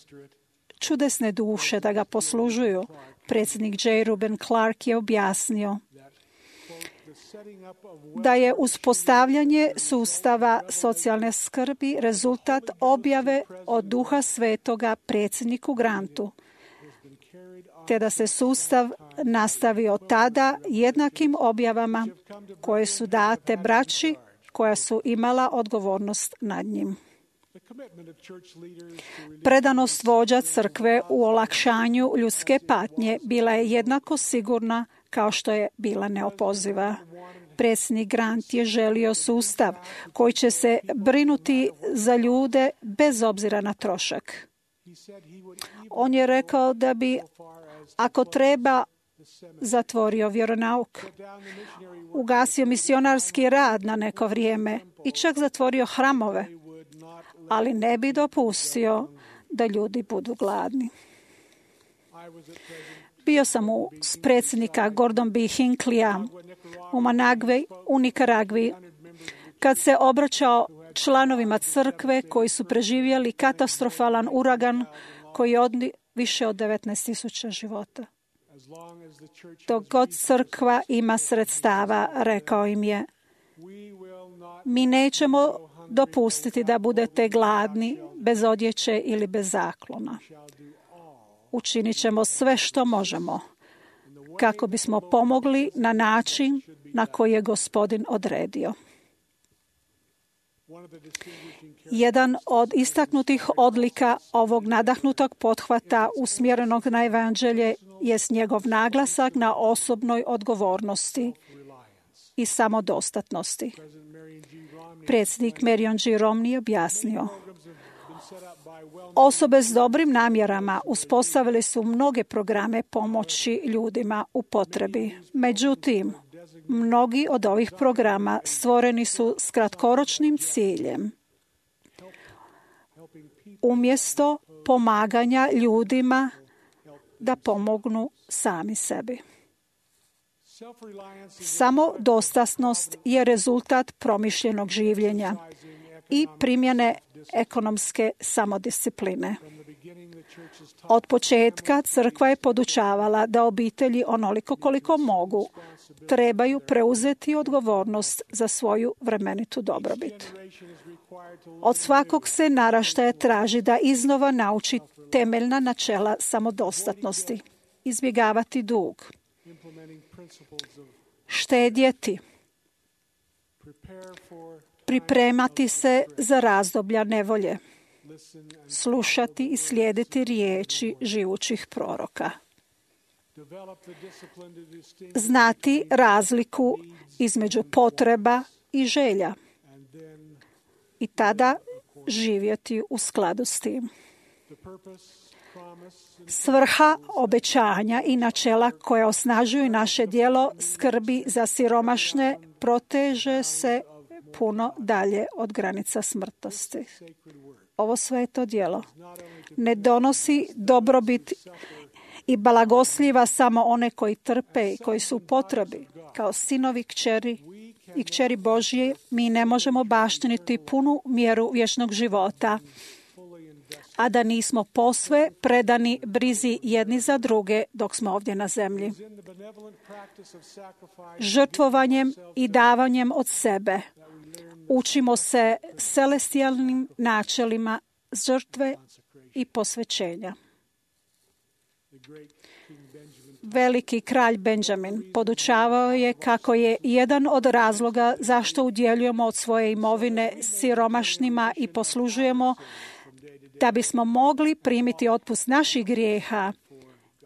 [SPEAKER 5] čudesne duše da ga poslužuju, predsjednik J. Reuben Clark je objasnio da je uspostavljanje sustava socijalne skrbi rezultat objave od Duha Svetoga predsjedniku Grantu, te da se sustav nastavio tada jednakim objavama koje su date braći koja su imala odgovornost nad njim. Predanost vođa crkve u olakšanju ljudske patnje bila je jednako sigurna kao što je bila neopoziva. Predsjednik Grant je želio sustav koji će se brinuti za ljude bez obzira na trošak. On je rekao da bi, ako treba, zatvorio vjeronauk, ugasio misionarski rad na neko vrijeme i čak zatvorio hramove, ali ne bi dopustio da ljudi budu gladni. Bio sam u predsjednika Gordon B. Hinckleyja u Managvi, u Nikaragvi, kad se obraćao članovima crkve koji su preživjeli katastrofalan uragan koji je odnio više od devetnaest tisuća života. Dok god crkva ima sredstava, rekao im je, mi nećemo dopustiti da budete gladni, bez odjeće ili bez zaklona. Učinit ćemo sve što možemo kako bismo pomogli na način na koji je Gospodin odredio. Jedan od istaknutih odlika ovog nadahnutog pothvata usmjerenog na evanđelje jest njegov naglasak na osobnoj odgovornosti i samodostatnosti. Predsjednik Marion G. Romney objasnio, osobe s dobrim namjerama uspostavili su mnoge programe pomoći ljudima u potrebi. Međutim, mnogi od ovih programa stvoreni su s kratkoročnim ciljem, umjesto pomaganja ljudima da pomognu sami sebi. Samodostatnost je rezultat promišljenog življenja i primjene ekonomske samodiscipline. Od početka crkva je podučavala da obitelji onoliko koliko mogu trebaju preuzeti odgovornost za svoju vremenitu dobrobit. Od svakog se naraštaja traži da iznova nauči temeljna načela samodostatnosti, izbjegavati dug, štedjeti, pripremati se za razdoblja nevolje, slušati i slijediti riječi živućih proroka, znati razliku između potreba i želja i tada živjeti u skladu s tim. Svrha obećanja i načela koja osnažuju naše djelo skrbi za siromašne proteže se puno dalje od granica smrtnosti. Ovo sveto djelo ne donosi dobrobit i blagosljiva samo one koji trpe i koji su u potrebi, kao sinovi, kćeri i kćeri Božje, mi ne možemo baštiniti punu mjeru vječnog života, a da nismo posve predani brizi jedni za druge dok smo ovdje na zemlji. Žrtvovanjem i davanjem od sebe učimo se celestijalnim načelima žrtve i posvećenja. Veliki kralj Benjamin podučavao je kako je jedan od razloga zašto udjeljujemo od svoje imovine siromašnima i poslužujemo da bismo mogli primiti otpust naših grijeha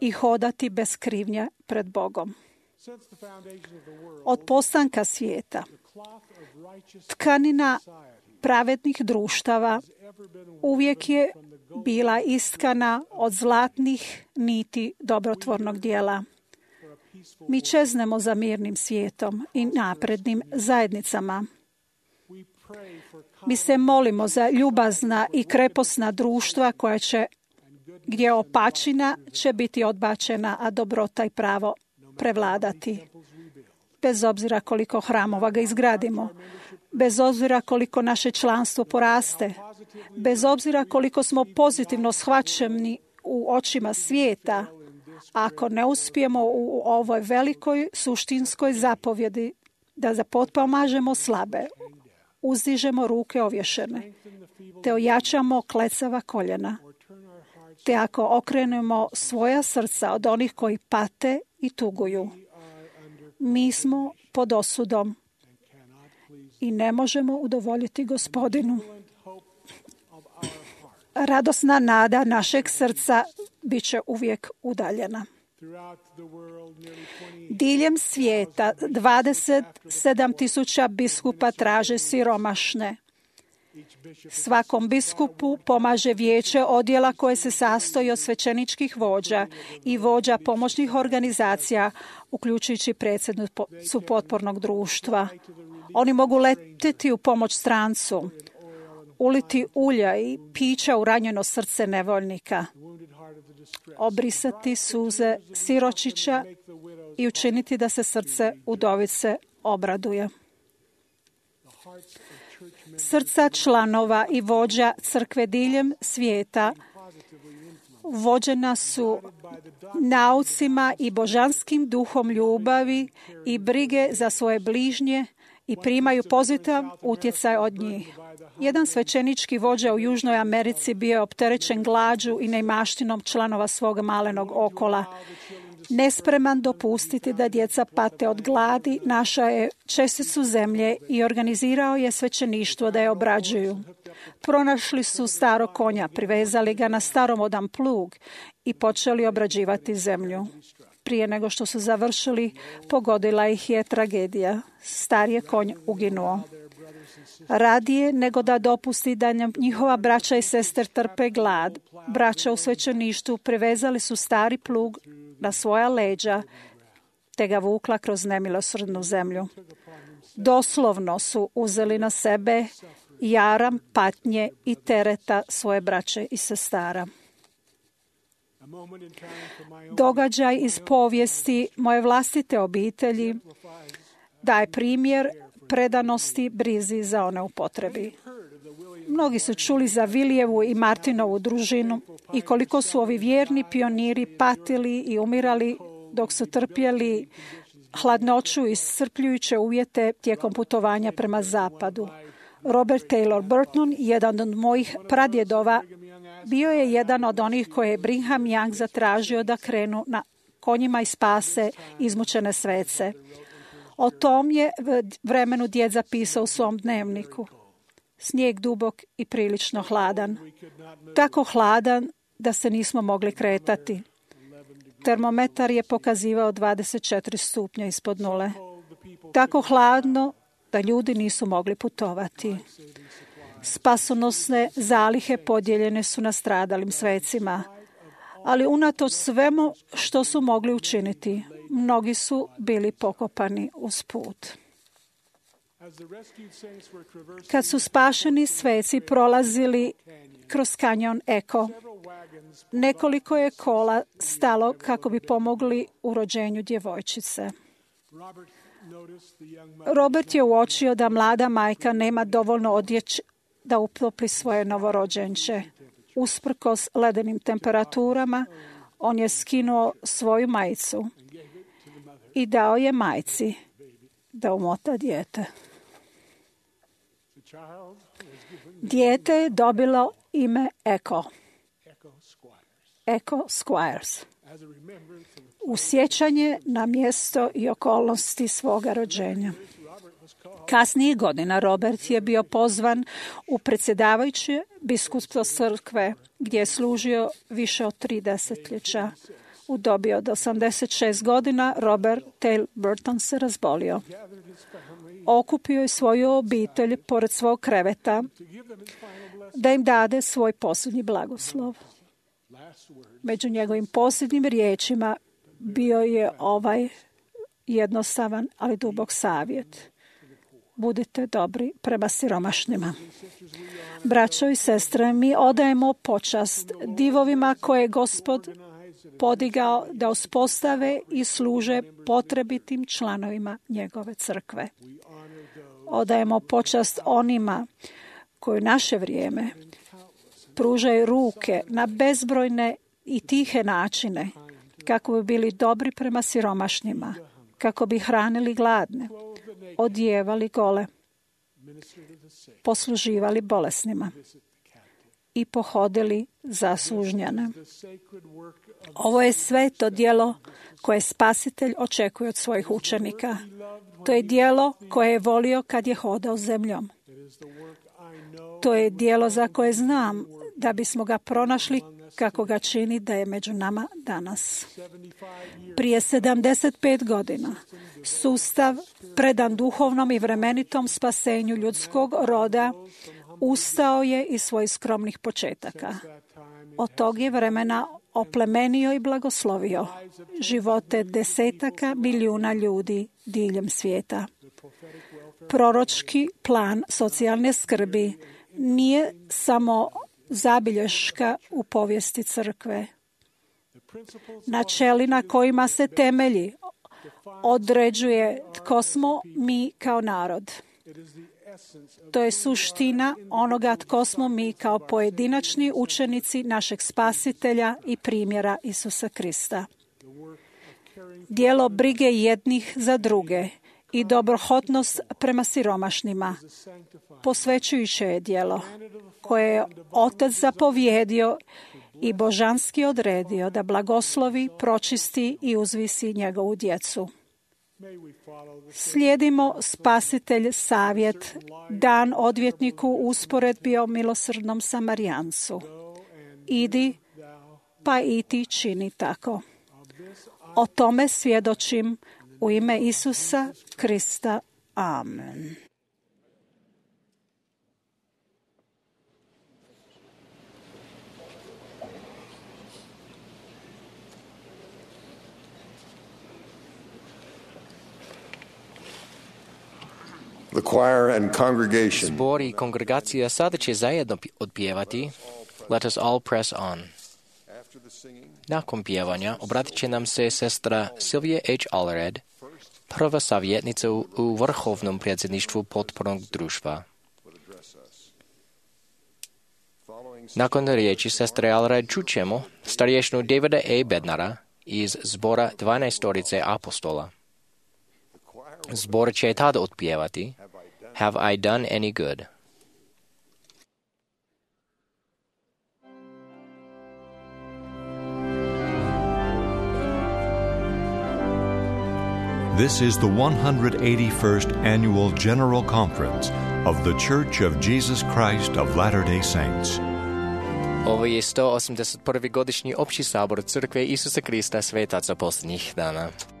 [SPEAKER 5] i hodati bez krivnje pred Bogom. Od postanka svijeta, tkanina pravednih društava uvijek je bila istkana od zlatnih niti dobrotvornog djela. Mi čeznemo za mirnim svijetom i naprednim zajednicama. Mi se molimo za ljubazna i kreposna društva koja će, gdje opačina će biti odbačena, a dobrota i pravo prevladati. Bez obzira koliko hramova ga izgradimo, bez obzira koliko naše članstvo poraste, bez obzira koliko smo pozitivno shvaćeni u očima svijeta, ako ne uspijemo u ovoj velikoj suštinskoj zapovjedi da zapotpomažemo slabe, uzdižemo ruke ovješene, te ojačamo klecava koljena, te ako okrenemo svoja srca od onih koji pate i tuguju, mi smo pod osudom i ne možemo udovoljiti Gospodinu. Radosna nada našeg srca bit će uvijek udaljena. Diljem svijeta dvadeset sedam tisuća biskupa traže siromašne. Svakom biskupu pomaže vijeće odjela koje se sastoji od svećeničkih vođa i vođa pomoćnih organizacija, uključujući predsjednicu potpornog društva. Oni mogu letiti u pomoć strancu, uliti ulja i pića u ranjeno srce nevoljnika, obrisati suze siročića i učiniti da se srce udovice obraduje. Srca članova i vođa crkve diljem svijeta vođena su naucima i božanskim duhom ljubavi i brige za svoje bližnje i primaju pozitivan utjecaj od njih. Jedan svećenički vođa u Južnoj Americi bio je opterećen glađu i neimaštinom članova svog malenog okola. Nespreman dopustiti da djeca pate od gladi, našao je česticu zemlje i organizirao je svećeništvo da je obrađuju. Pronašli su starog konja, privezali ga na staromodan plug i počeli obrađivati zemlju. Prije nego što su završili, pogodila ih je tragedija. Star je konj uginuo. Radije nego da dopusti da njihova braća i sestre trpe glad, braća u svećeništvu privezali su stari plug na svoja leđa te ga vukla kroz nemilosrdnu zemlju. Doslovno su uzeli na sebe jaram patnje i tereta svoje braće i sestara. Događaj iz povijesti moje vlastite obitelji daje primjer predanosti brizi za one u potrebi. Mnogi su čuli za Vilijevu i Martinovu družinu i koliko su ovi vjerni pioniri patili i umirali dok su trpjeli hladnoću i iscrpljujuće uvjete tijekom putovanja prema zapadu. Robert Taylor Burton, jedan od mojih pradjedova, bio je jedan od onih koje je Brigham Young zatražio da krenu na konjima i spase izmučene svece. O tom je vremenu djed zapisao u svom dnevniku. Snijeg dubok i prilično hladan. Tako hladan da se nismo mogli kretati. Termometar je pokazivao dvadeset četiri stupnja ispod nule. Tako hladno da ljudi nisu mogli putovati. Spasonosne zalihe podijeljene su nastradalim svecima. Ali unatoč svemu što su mogli učiniti, mnogi su bili pokopani uz put. Kad su spašeni sveci prolazili kroz kanjon Eko, nekoliko je kola stalo kako bi pomogli u rođenju djevojčice. Robert je uočio da mlada majka nema dovoljno odjeće da utopli svoje novorođenče. Usprkos ledenim temperaturama, on je skinuo svoju majicu i dao je majci da umota dijete. Dijete je dobilo ime Echo. Echo Squires. U sjećanje na mjesto i okolnosti svoga rođenja. Kasnijih godina Robert je bio pozvan u predsjedavajuće biskupstvo crkve, gdje je služio više od tri desetljeća. U dobi od osamdeset šest godina Robert Taylor Burton se razbolio. Okupio je svoju obitelj pored svog kreveta da im dade svoj posljednji blagoslov. Među njegovim posljednjim riječima bio je ovaj jednostavan, ali dubok savjet. Budite dobri prema siromašnima. Braćo i sestre, mi odajemo počast divovima koje je Gospod podigao da uspostave i služe potrebitim članovima njegove crkve. Odajemo počast onima koji u naše vrijeme pružaju ruke na bezbrojne i tihe načine kako bi bili dobri prema siromašnima, kako bi hranili gladne, odjevali gole, posluživali bolesnima i pohodili zaslužnjane. Ovo je sveto djelo koje Spasitelj očekuje od svojih učenika. To je djelo koje je volio kad je hodao zemljom. To je djelo za koje znam da bismo ga pronašli kako ga čini da je među nama danas. Prije sedamdeset pet godina sustav predan duhovnom i vremenitom spasenju ljudskog roda ustao je iz svojih skromnih početaka. Od tog je vremena oplemenio i blagoslovio živote desetaka milijuna ljudi diljem svijeta. Proročki plan socijalne skrbi nije samo zabilješka u povijesti crkve. Načeli na kojima se temelji određuje tko smo mi kao narod. To je suština onoga tko smo mi kao pojedinačni učenici našeg Spasitelja i primjera Isusa Krista. Djelo brige jednih za druge i dobrohotnost prema siromašnima posvećujuće je djelo koje je Otac zapovjedio i božanski odredio da blagoslovi, pročisti i uzvisi njegovu djecu. Slijedimo Spasitelj savjet dan odvjetniku usporedbi o milosrdnom Samarijancu. Idi, pa i ti čini tako. O tome svjedočim u ime Isusa Krista. Amen.
[SPEAKER 3] The choir and congregation.
[SPEAKER 2] Zbor i kongregacija sada će zajedno odpjevati Let us all press on. Nakon pjevanja obratit će nam se sestra Sylvia H. Allred, prva savjetnica u, u vrhovnom predsjedništvu potpornog društva. Nakon riječi sestre Allred čućemo starješnu Davida A. Bednara iz zbora dvanaestorice apostola. Zbor će tada otpjevati Have I done any good?
[SPEAKER 4] This is the one hundred eighty-first Annual General Conference of the Church of Jesus Christ of Latter-day Saints.
[SPEAKER 2] Ovo je sto osamdeset prvi godišnji opći sabor Crkve Isusa Krista svetaca posljednjih dana.
[SPEAKER 6] Praise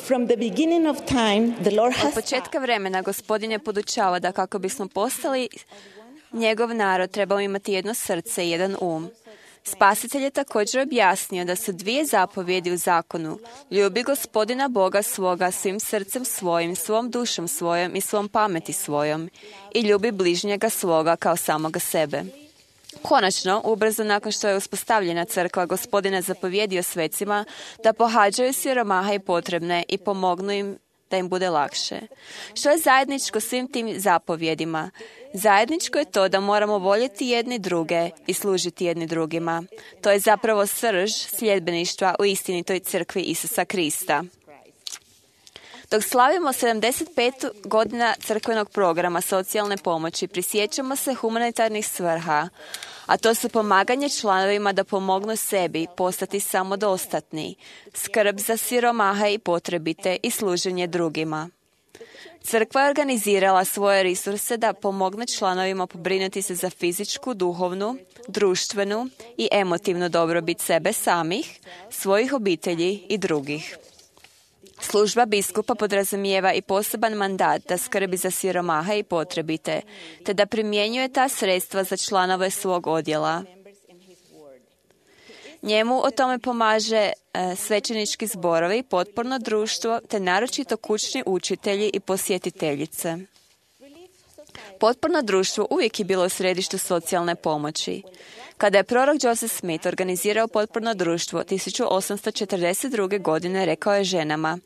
[SPEAKER 6] From the beginning of time, the Lord
[SPEAKER 1] Od
[SPEAKER 6] has
[SPEAKER 1] početka vremena Gospodin je podučavao da kako bismo postali njegov narod, trebamo imati jedno srce i jedan um. Spasitelj je također objasnio da su dvije zapovjedi u zakonu. Ljubi Gospodina Boga svoga svim srcem svojim, svom dušom svojom i svom pameti svojom. I ljubi bližnjega svoga kao samoga sebe. Konačno, ubrzo nakon što je uspostavljena crkva, Gospodin je zapovjedio svecima da pohađaju siromaha i potrebne i pomognu im da im bude lakše. Što je zajedničko svim tim zapovjedima? Zajedničko je to da moramo voljeti jedni druge i služiti jedni drugima. To je zapravo srž sljedbeništva u istinitoj crkvi Isusa Krista. Dok slavimo sedamdeset pet godina crkvenog programa socijalne pomoći, prisjećamo se humanitarnih svrha, a to su pomaganje članovima da pomognu sebi postati samodostatni, skrb za siromaha i potrebite i služenje drugima. Crkva je organizirala svoje resurse da pomogne članovima pobrinuti se za fizičku, duhovnu, društvenu i emotivnu dobrobit sebe samih, svojih obitelji i drugih. Služba biskupa podrazumijeva i poseban mandat da skrbi za siromaha i potrebite, te da primjenjuje ta sredstva za članove svog odjela. Njemu o tome pomaže e, svećenički zborovi, potporno društvo, te naročito kućni učitelji i posjetiteljice. Potporno društvo uvijek je bilo u središtu socijalne pomoći. Kada je prorok Joseph Smith organizirao potporno društvo tisuću osamsto četrdeset druge. godine, rekao je ženama: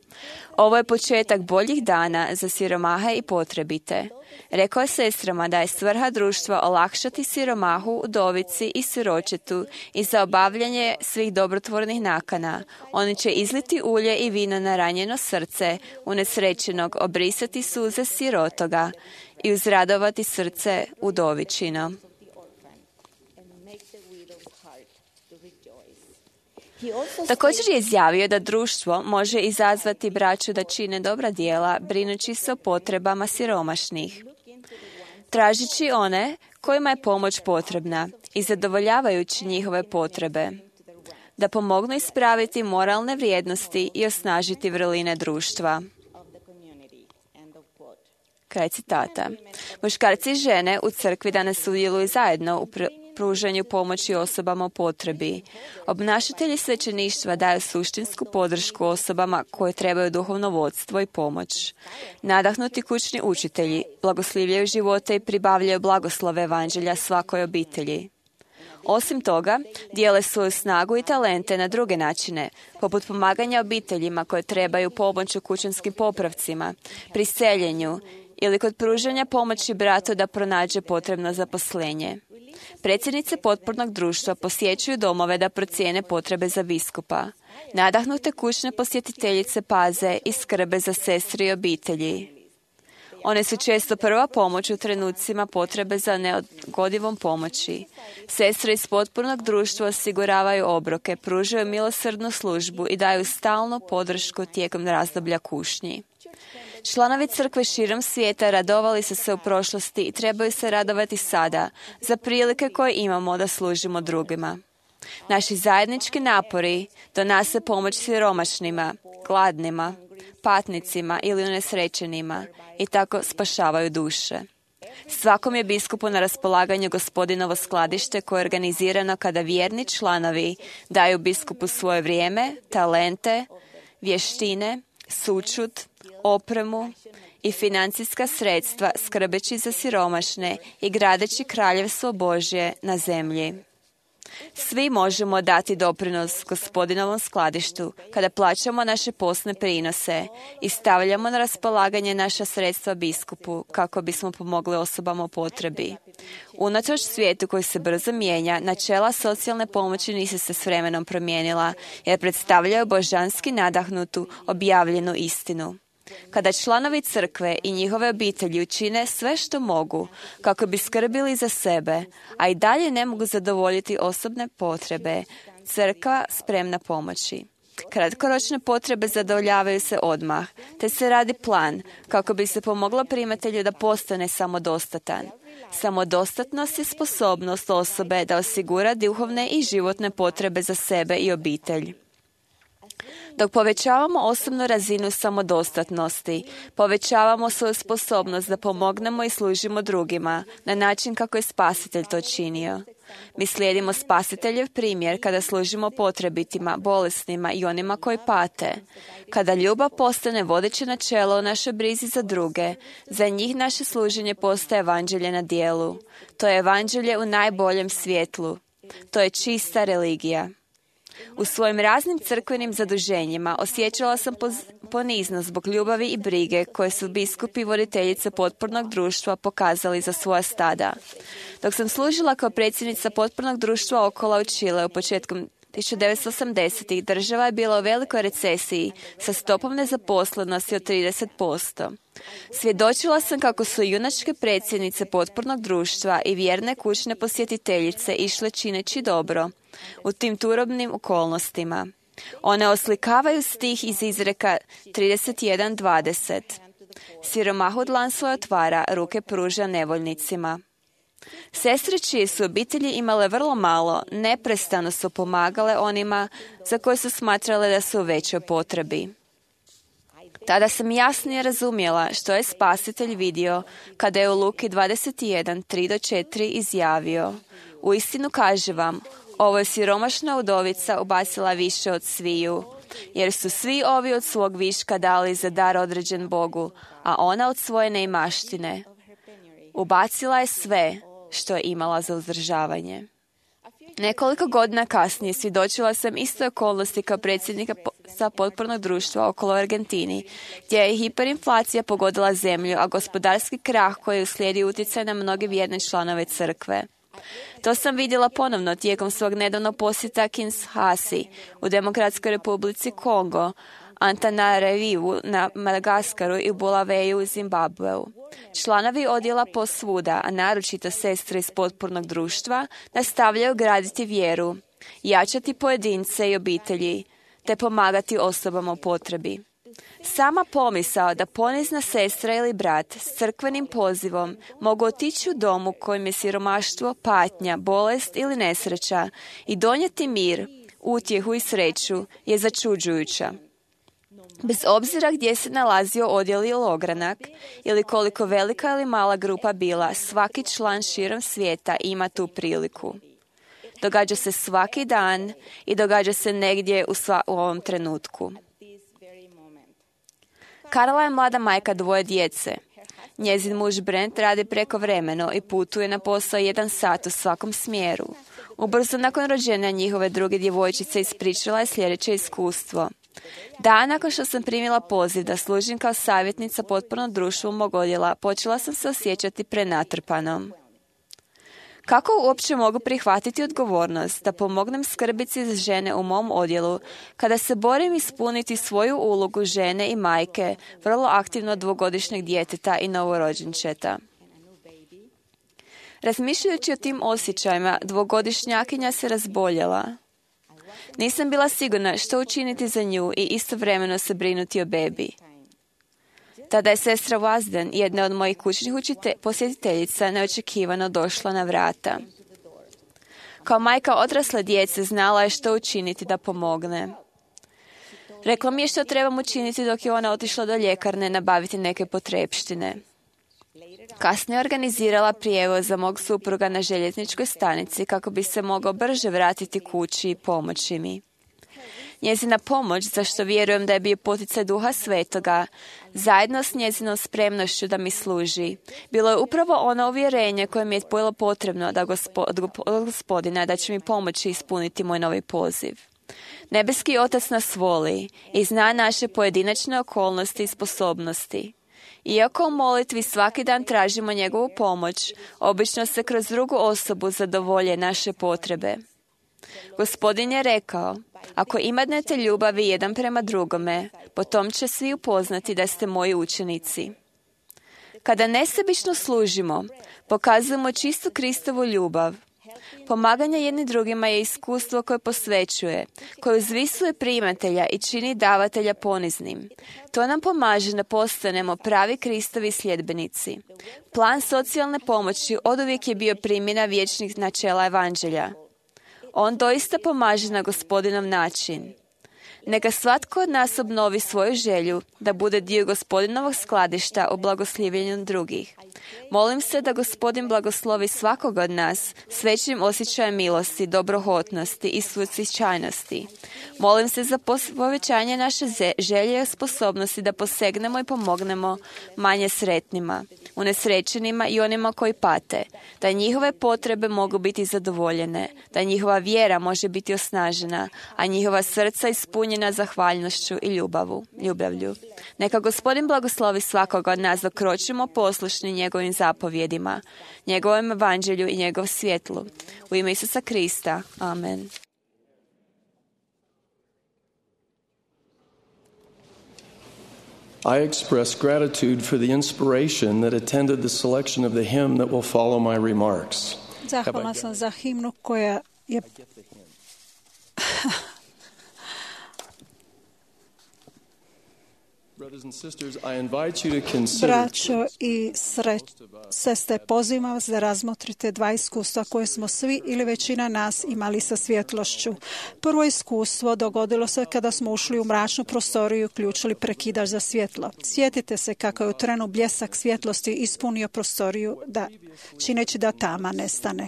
[SPEAKER 1] ovo je početak boljih dana za siromahe i potrebite. Rekao je sestrama da je svrha društva olakšati siromahu, udovici i siročetu i za obavljanje svih dobrotvornih nakana. Oni će izliti ulje i vino na ranjeno srce unesrećenog, obrisati suze sirotoga i uzradovati srce udovičino. Također je izjavio da društvo može izazvati braću da čine dobra djela, brinući se o potrebama siromašnih, tražići one kojima je pomoć potrebna i zadovoljavajući njihove potrebe, da pomognu ispraviti moralne vrijednosti i osnažiti vrline društva. Kraj citata. Muškarci i žene u crkvi danas sudjeluju zajedno u pr- pružanju pomoći osobama u potrebi. Obnašatelji svećeništva daju suštinsku podršku osobama koje trebaju duhovno vodstvo i pomoć. Nadahnuti kućni učitelji blagoslivljaju živote i pribavljaju blagoslove evanđelja svakoj obitelji. Osim toga, dijele svoju snagu i talente na druge načine, poput pomaganja obiteljima koje trebaju pomoć u kućanskim popravcima, pri seljenju ili kod pružanja pomoći bratu da pronađe potrebno zaposlenje. Predsjednice potpornog društva posjećuju domove da procijene potrebe za biskupa. Nadahnute kućne posjetiteljice paze i skrbe za sestre i obitelji. One su često prva pomoć u trenucima potrebe za neodgodivom pomoći. Sestre iz potpornog društva osiguravaju obroke, pružaju milosrdnu službu i daju stalnu podršku tijekom razdoblja kušnji. Članovi crkve širom svijeta radovali su se u prošlosti i trebaju se radovati sada za prilike koje imamo da služimo drugima. Naši zajednički napori donose pomoć siromašnima, gladnima, patnicima ili unesrećenima i tako spašavaju duše. Svakom je biskupu na raspolaganju Gospodinovo skladište koje je organizirano kada vjerni članovi daju biskupu svoje vrijeme, talente, vještine, sućut, opremu i financijska sredstva skrbeći za siromašne i gradeći kraljevstvo Božje na zemlji. Svi možemo dati doprinos Gospodinovom skladištu kada plaćamo naše posne prinose i stavljamo na raspolaganje naša sredstva biskupu kako bismo pomogli osobama u potrebi. Unatoč svijetu koji se brzo mijenja, načela socijalne pomoći nisu se s vremenom promijenila jer predstavljaju božanski nadahnutu objavljenu istinu. Kada članovi crkve i njihove obitelji učine sve što mogu kako bi skrbili za sebe, a i dalje ne mogu zadovoljiti osobne potrebe, crkva spremna pomoći. Kratkoročne potrebe zadovoljavaju se odmah, te se radi plan kako bi se pomoglo primatelju da postane samodostatan. Samodostatnost je sposobnost osobe da osigura duhovne i životne potrebe za sebe i obitelj. Dok povećavamo osobnu razinu samodostatnosti, povećavamo svoju sposobnost da pomognemo i služimo drugima na način kako je Spasitelj to činio. Mi slijedimo Spasiteljev primjer kada služimo potrebitima, bolesnima i onima koji pate. Kada ljubav postane vodeće načelo u našoj brizi za druge, za njih naše služenje postaje evanđelje na djelu. To je evanđelje u najboljem svjetlu. To je čista religija. U svojim raznim crkvenim zaduženjima osjećala sam poniznost zbog ljubavi i brige koje su biskupi i voditeljice potpornog društva pokazali za svoja stada. Dok sam služila kao predsjednica potpornog društva Okola u Čileu početkom tisuću devetsto osamdesetih, država je bila u velikoj recesiji sa stopom nezaposlenosti od trideset posto. Svjedočila sam kako su junačke predsjednice potpornog društva i vjerne kućne posjetiteljice išle čineći dobro u tim turobnim okolnostima. One oslikavaju stih iz izreka trideset jedan dvadeset. Siromahu dlan svoj otvara, ruke pruža nevoljnicima. Sestre čije su obitelji imale vrlo malo, neprestano su pomagale onima za koje su smatrale da su u većoj potrebi. Tada sam jasnije razumjela što je Spasitelj vidio kada je u Luki dvadeset jedan tri do četiri izjavio: Uistinu kažem vam, ovo je siromašna udovica ubacila više od sviju, jer su svi ovi od svog viška dali za dar određen Bogu, a ona od svoje neimaštine. Ubacila je sve što je imala za uzdržavanje. Nekoliko godina kasnije svjedočila sam istoj okolnosti kao predsjednika sa potpornog društva okolo Argentini, gdje je hiperinflacija pogodila zemlju, a gospodarski krah koji je uslijedio utjecaj na mnoge vjerne članove crkve. To sam vidjela ponovno tijekom svog nedavnog posjeta Kinshasi u Demokratskoj republici Kongo, Antananarivu na Madagaskaru i Bulaveju u Zimbabveu. Članovi odjela posvuda, a naročito sestre iz potpornog društva, nastavljaju graditi vjeru, jačati pojedince i obitelji, te pomagati osobama u potrebi. Sama pomisao da ponizna sestra ili brat s crkvenim pozivom mogu otići u dom u kojem je siromaštvo, patnja, bolest ili nesreća i donijeti mir, utjehu i sreću je začuđujuća. Bez obzira gdje se nalazio odjel ili ogranak, ili koliko velika ili mala grupa bila, svaki član širom svijeta ima tu priliku. Događa se svaki dan i događa se negdje u, sva, u ovom trenutku. Karla je mlada majka dvoje djece. Njezin muž Brent radi prekovremeno i putuje na posao jedan sat u svakom smjeru. Ubrzo nakon rođenja njihove druge djevojčice ispričala je sljedeće iskustvo. Dan nakon što sam primila poziv da služim kao savjetnica potpornog društva mog odjela, počela sam se osjećati prenatrpanom. Kako uopće mogu prihvatiti odgovornost da pomognem skrbici za žene u mom odjelu kada se borim ispuniti svoju ulogu žene i majke vrlo aktivno dvogodišnjeg djeteta i novorođenčeta? Razmišljajući o tim osjećajima, dvogodišnjakinja se razboljela. Nisam bila sigurna što učiniti za nju i istovremeno se brinuti o bebi. Tada je sestra Wasden, jedna od mojih kućnih učite- posjetiteljica, neočekivano došla na vrata. Kao majka odrasle djece znala je što učiniti da pomogne. Rekla mi je što trebam učiniti dok je ona otišla do ljekarne nabaviti neke potrepštine. Kasnije organizirala prijevoz za mog supruga na željezničkoj stanici kako bi se mogao brže vratiti kući i pomoći mi. Njezina pomoć, za što vjerujem da je bio poticaj Duha Svetoga, zajedno s njezinom spremnošću da mi služi, bilo je upravo ono uvjerenje koje mi je bilo potrebno da gospo, od Gospodina da će mi pomoći ispuniti moj novi poziv. Nebeski Otac nas voli i zna naše pojedinačne okolnosti i sposobnosti. Iako u molitvi svaki dan tražimo njegovu pomoć, obično se kroz drugu osobu zadovolje naše potrebe. Gospodin je rekao, ako imate ljubavi jedan prema drugome, potom će svi upoznati da ste moji učenici. Kada nesebično služimo, pokazujemo čistu Kristovu ljubav. Pomaganje jedni drugima je iskustvo koje posvećuje, koje uzvisuje primatelja i čini davatelja poniznim. To nam pomaže da postanemo pravi Kristovi sljedbenici. Plan socijalne pomoći oduvijek je bio primjena vječnih načela evanđelja. On doista pomaže na Gospodinov način. Neka svatko od nas obnovi svoju želju da bude dio Gospodinovog skladišta u blagoslivljenju drugih. Molim se da Gospodin blagoslovi svakog od nas s većim osjećajem milosti, dobrohotnosti i suosjećajnosti. Molim se za povećanje naše želje i sposobnosti da posegnemo i pomognemo manje sretnima, unesrećenima i onima koji pate, da njihove potrebe mogu biti zadovoljene, da njihova vjera može biti osnažena, a njihova srca ispunjena zahvalnošću i ljubavu, ljubavlju. Neka Gospodin blagoslovi svakoga od nas dok kročimo poslušni njegovim zapovjedima, njegovom evanđelju i njegov svjetlu. U ime Isusa Krista. Amen.
[SPEAKER 7] I express gratitude for the inspiration that attended the selection of the hymn that will follow my remarks.
[SPEAKER 5] Zahvalna sam za himnu koja je Braćo i sestre, pozivam vas da razmotrite dva iskustva koje smo svi ili većina nas imali sa svjetlošću. Prvo iskustvo dogodilo se kada smo ušli u mračnu prostoriju i uključili prekidač za svjetlo. Sjetite se kako je u trenu bljesak svjetlosti ispunio prostoriju, da, čineći da tama nestane.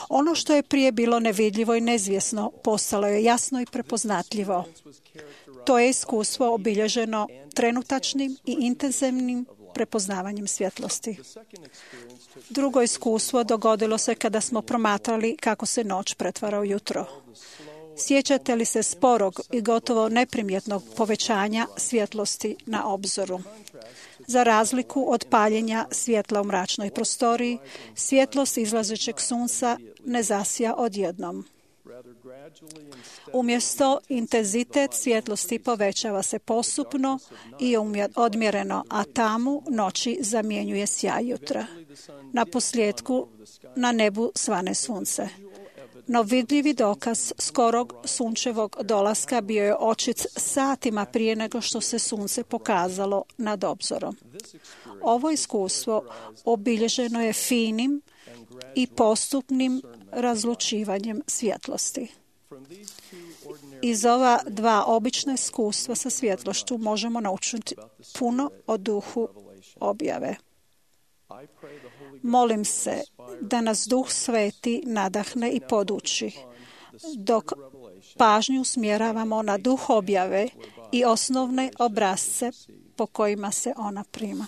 [SPEAKER 5] Ono što je prije bilo nevidljivo i neizvjesno postalo je jasno i prepoznatljivo. To je iskustvo obilježeno trenutačnim i intenzivnim prepoznavanjem svjetlosti. Drugo iskustvo dogodilo se kada smo promatrali kako se noć pretvara u jutro. Sjećate li se sporog i gotovo neprimjetnog povećanja svjetlosti na obzoru? Za razliku od paljenja svjetla u mračnoj prostoriji, svjetlost izlazećeg sunca ne zasja odjednom. Umjesto intenzitet svjetlosti povećava se postupno i odmjereno, a tamu noći zamjenjuje sjaj jutra. Na posljedku na nebu svane sunce. No vidljivi dokaz skorog sunčevog dolaska bio je očit satima prije nego što se sunce pokazalo nad obzorom. Ovo iskustvo obilježeno je finim i postupnim razlučivanjem svjetlosti. Iz ova dva obična iskustva sa svjetlošću možemo naučiti puno o duhu objave. Molim se da nas Duh Sveti nadahne i poduči, dok pažnju usmjeravamo na duh objave i osnovne obrasce po kojima se ona prima.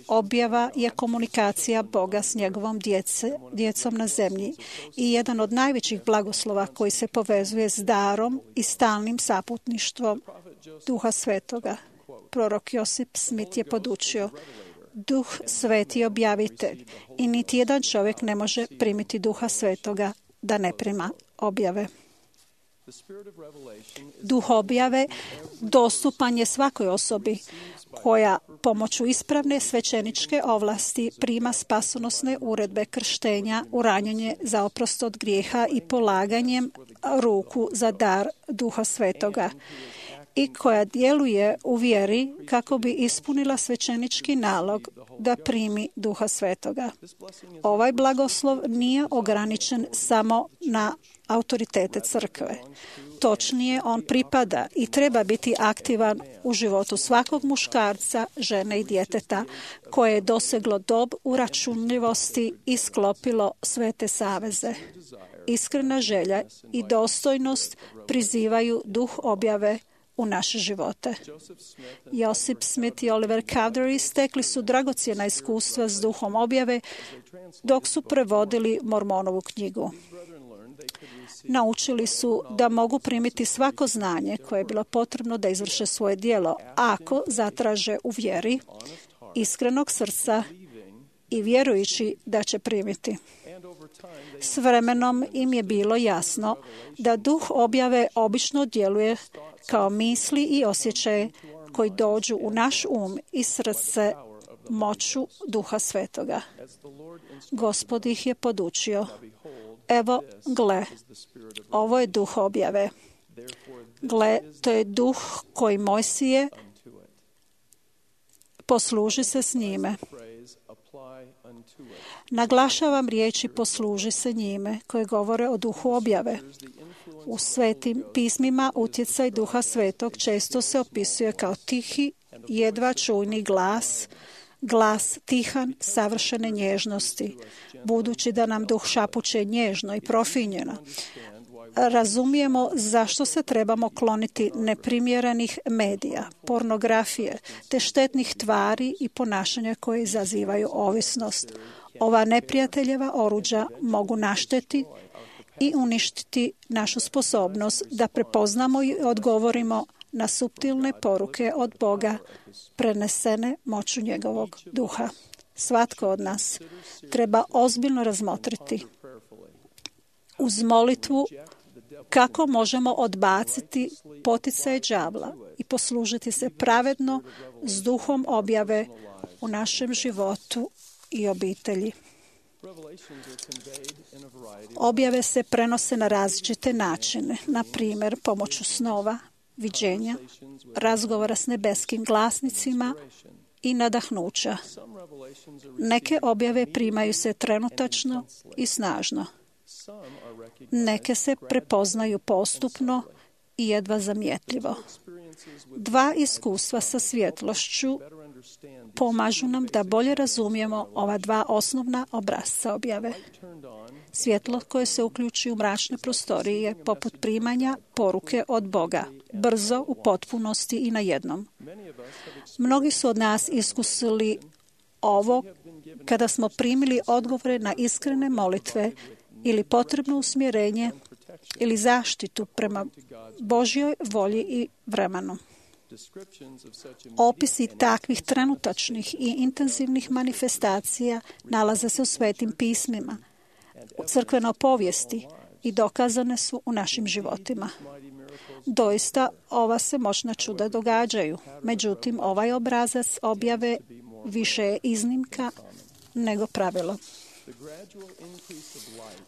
[SPEAKER 5] Objava je komunikacija Boga s njegovom djece, djecom na zemlji i jedan od najvećih blagoslova koji se povezuje s darom i stalnim saputništvom Duha Svetoga. Prorok Josip Smith je podučio: Duh Sveti je objavitelj i niti jedan čovjek ne može primiti Duha Svetoga da ne prima objave. Duh objave dostupan je svakoj osobi koja pomoću ispravne svećeničke ovlasti prima spasonosne uredbe krštenja, uranjanje za oprost od grijeha i polaganjem ruku za dar Duha Svetoga, i koja djeluje u vjeri kako bi ispunila svećenički nalog da primi Duha Svetoga. Ovaj blagoslov nije ograničen samo na autoritete crkve. Točnije, on pripada i treba biti aktivan u životu svakog muškarca, žene i djeteta koje je doseglo dob uračunljivosti i sklopilo svete saveze. Iskrena želja i dostojnost prizivaju duh objave u naše živote. Josip Smith i Oliver Cowdery stekli su dragocjena iskustva s duhom objave dok su prevodili Mormonovu knjigu. Naučili su da mogu primiti svako znanje koje je bilo potrebno da izvrše svoje djelo, ako zatraže u vjeri, iskrenog srca i vjerujući da će primiti. S vremenom im je bilo jasno da duh objave obično djeluje kao misli i osjećaje koji dođu u naš um i srce moću Duha Svetoga. Gospod ih je podučio: evo, gle, ovo je duh objave. Gle, to je duh koji Mojsije, posluži se s njime. Naglašavam riječi posluži se njime, koje govore o duhu objave. U svetim pismima utjecaj duha svetog često se opisuje kao tihi, jedva čujni glas, glas tihan, savršene nježnosti. Budući da nam duh šapuće nježno i profinjeno, razumijemo zašto se trebamo kloniti neprimjerenih medija, pornografije, te štetnih tvari i ponašanja koje izazivaju ovisnost. Ova neprijateljeva oruđa mogu naštetiti i uništiti našu sposobnost da prepoznamo i odgovorimo na suptilne poruke od Boga prenesene moću njegovog duha. Svatko od nas treba ozbiljno razmotriti uz molitvu kako možemo odbaciti poticaj đavla i poslužiti se pravedno s duhom objave u našem životu i obitelji. Objave se prenose na različite načine, na primjer pomoću snova, viđenja, razgovora s nebeskim glasnicima i nadahnuća. Neke objave primaju se trenutačno i snažno. Neke se prepoznaju postupno i jedva zamjetljivo. Dva iskustva sa svjetlošću pomažu nam da bolje razumijemo ova dva osnovna obrasca objave. Svjetlo koje se uključi u mračne prostorije je poput primanja poruke od Boga, brzo, u potpunosti i na jednom. Mnogi su od nas iskusili ovo kada smo primili odgovore na iskrene molitve ili potrebno usmjerenje ili zaštitu prema Božjoj volji i vremenu. Opisi takvih trenutačnih i intenzivnih manifestacija nalaze se u svetim pismima, u crkvenoj povijesti i dokazane su u našim životima. Doista, ova se moćna čuda događaju. Međutim, ovaj obrazac objave više je iznimka nego pravilo.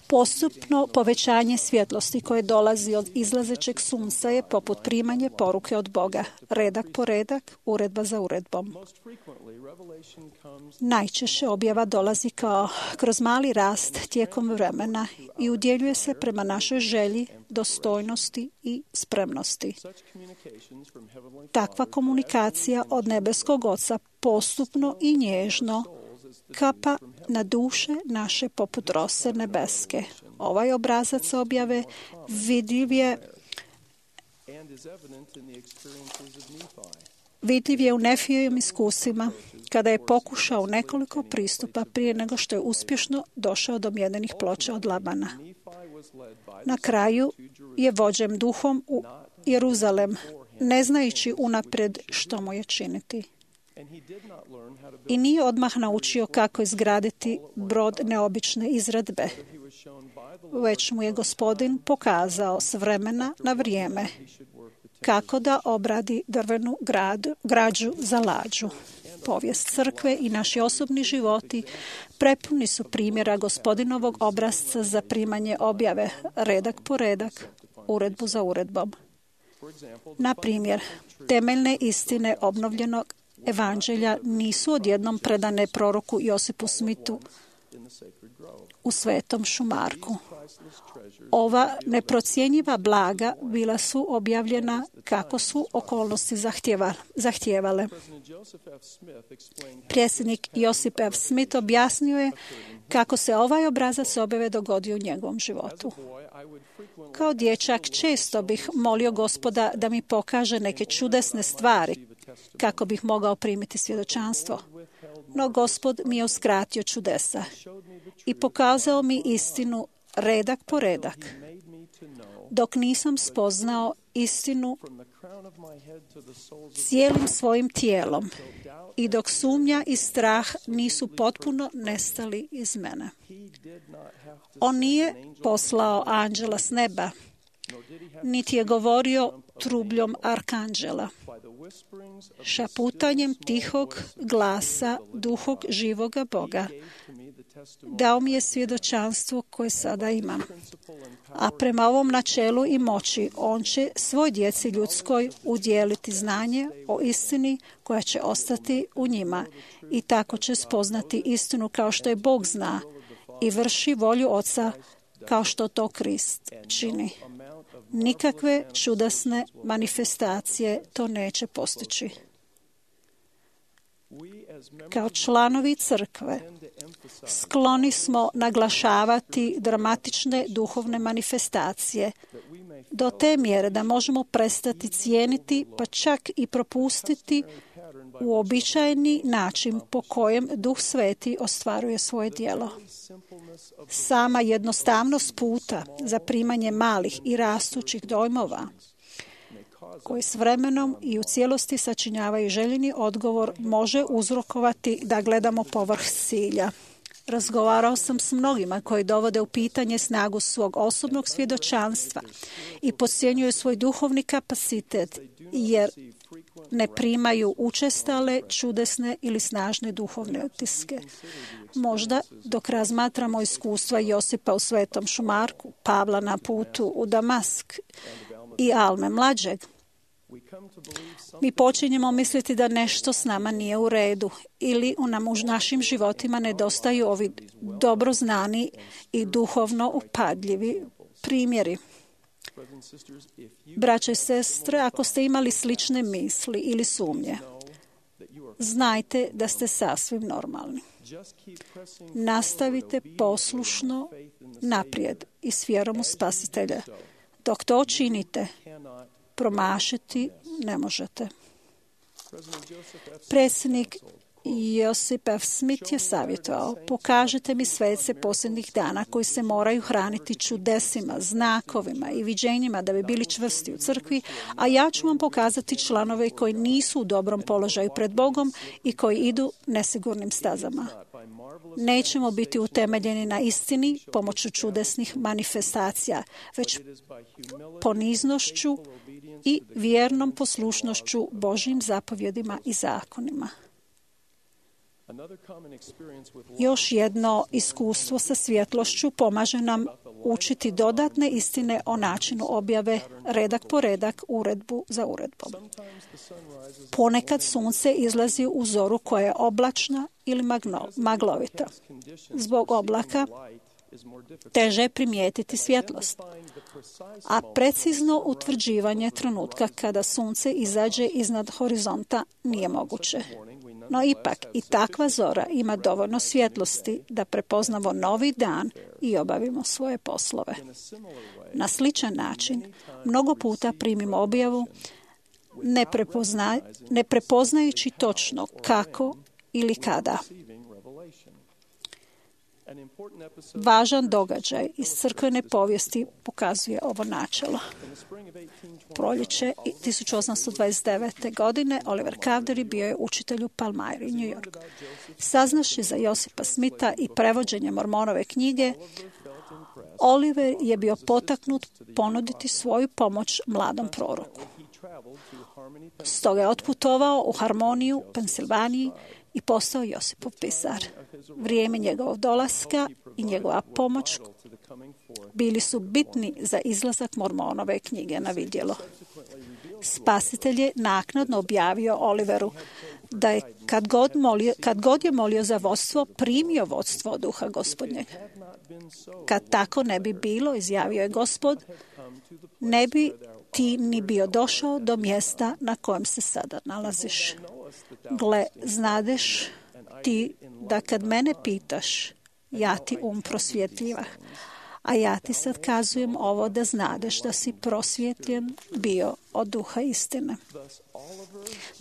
[SPEAKER 5] Postupno povećanje svjetlosti koje dolazi od izlazećeg sunca je poput primanje poruke od Boga, redak po redak, uredba za uredbom. Najčešće objava dolazi kao kroz mali rast tijekom vremena i udjeljuje se prema našoj želji, dostojnosti i spremnosti. Takva komunikacija od nebeskog Oca postupno i nježno kapa na duše naše poput rose nebeske. Ovaj obrazac objave vidljiv je, vidljiv je u Nefijevim iskusima kada je pokušao nekoliko pristupa prije nego što je uspješno došao do mjedenih ploča od Labana. Na kraju je vođen duhom u Jeruzalem, ne znajući unaprijed što mu je činiti. I nije odmah naučio kako izgraditi brod neobične izradbe, već mu je Gospodin pokazao s vremena na vrijeme kako da obradi drvenu gradu, građu za lađu. Povijest crkve i naši osobni životi prepuni su primjera Gospodinovog obrasca za primanje objave, redak po redak, uredbu za uredbom. Na primjer, temeljne istine obnovljenog evanđelja nisu odjednom predane proroku Josipu Smithu u Svetom šumarku. Ova neprocjenjiva blaga bila su objavljena kako su okolnosti zahtijevale. Predsjednik Josip F. Smith objasnio je kako se ovaj obrazac objave dogodio u njegovom životu. Kao dječak često bih molio Gospoda da mi pokaže neke čudesne stvari kako bih mogao primiti svjedočanstvo. No Gospod mi je uskratio čudesa i pokazao mi istinu redak po redak, dok nisam spoznao istinu cijelim svojim tijelom i dok sumnja i strah nisu potpuno nestali iz mene. On nije poslao anđela s neba niti je govorio trubljom arkanđela. Šaputanjem tihog glasa duhog živoga Boga dao mi je svjedočanstvo koje sada imam. A prema ovom načelu i moći on će svoj djeci ljudskoj udjeliti znanje o istini koja će ostati u njima i tako će spoznati istinu kao što je Bog zna i vrši volju Oca kao što to Krist čini. Nikakve čudesne manifestacije to neće postići. Kao članovi crkve skloni smo naglašavati dramatične duhovne manifestacije do te mjere da možemo prestati cijeniti pa čak i propustiti uobičajeni način po kojem Duh Sveti ostvaruje svoje djelo. Sama jednostavnost puta za primanje malih i rastućih dojmova koji s vremenom i u cijelosti sačinjavaju željeni odgovor može uzrokovati da gledamo povrh cilja. Razgovarao sam s mnogima koji dovode u pitanje snagu svog osobnog svjedočanstva i podcjenjuju svoj duhovni kapacitet jer ne primaju učestale, čudesne ili snažne duhovne utiske. Možda dok razmatramo iskustva Josipa u Svetom Šumarku, Pavla na putu u Damask i Alme mlađeg, mi počinjemo misliti da nešto s nama nije u redu ili u nam u našim životima nedostaju ovi dobro znani i duhovno upadljivi primjeri. Braće i sestre, ako ste imali slične misli ili sumnje, znajte da ste sasvim normalni. Nastavite poslušno naprijed i s vjerom u Spasitelja. Dok to činite, promašiti ne možete. Predsjednik Josip F. Smith je savjetovao: pokažite mi svece posljednjih dana koji se moraju hraniti čudesima, znakovima i viđenjima da bi bili čvrsti u crkvi, a ja ću vam pokazati članove koji nisu u dobrom položaju pred Bogom i koji idu nesigurnim stazama. Nećemo biti utemeljeni na istini pomoću čudesnih manifestacija, već poniznošću i vjernom poslušnošću Božjim zapovjedima i zakonima. Još jedno iskustvo sa svjetlošću pomaže nam učiti dodatne istine o načinu objave, redak po redak, uredbu za uredbom. Ponekad sunce izlazi u zoru koja je oblačna ili maglovita. Zbog oblaka teže je primijetiti svjetlost, a precizno utvrđivanje trenutka kada sunce izađe iznad horizonta nije moguće. No ipak i takva zora ima dovoljno svjetlosti da prepoznamo novi dan i obavimo svoje poslove. Na sličan način, mnogo puta primimo objavu ne, prepozna, ne prepoznajući točno kako ili kada. Važan događaj iz crkvene povijesti pokazuje ovo načelo. Proljeće tisuću osamsto dvadeset devete. godine Oliver Cowdery bio je učitelj u Palmyri, New York. Saznaši za Josipa Smitha i prevođenje Mormonove knjige, Oliver je bio potaknut ponuditi svoju pomoć mladom proroku. Stoga je otputovao u Harmoniju, Pensilvaniji i postao Josipov pisar. Vrijeme njegovog dolaska i njegova pomoć bili su bitni za izlazak Mormonove knjige na vidjelo. Spasitelj je naknadno objavio Oliveru da je kad god, molio, kad god je molio za vodstvo, primio vodstvo od Duha Gospodnjeg. Kad tako ne bi bilo, izjavio je Gospod, ne bi ti ni bio došao do mjesta na kojem se sada nalaziš. Gle, znadeš ti da kad mene pitaš, ja ti um prosvjetljiva, a ja ti sad kazujem ovo da znadeš da si prosvjetljen bio od duha istine.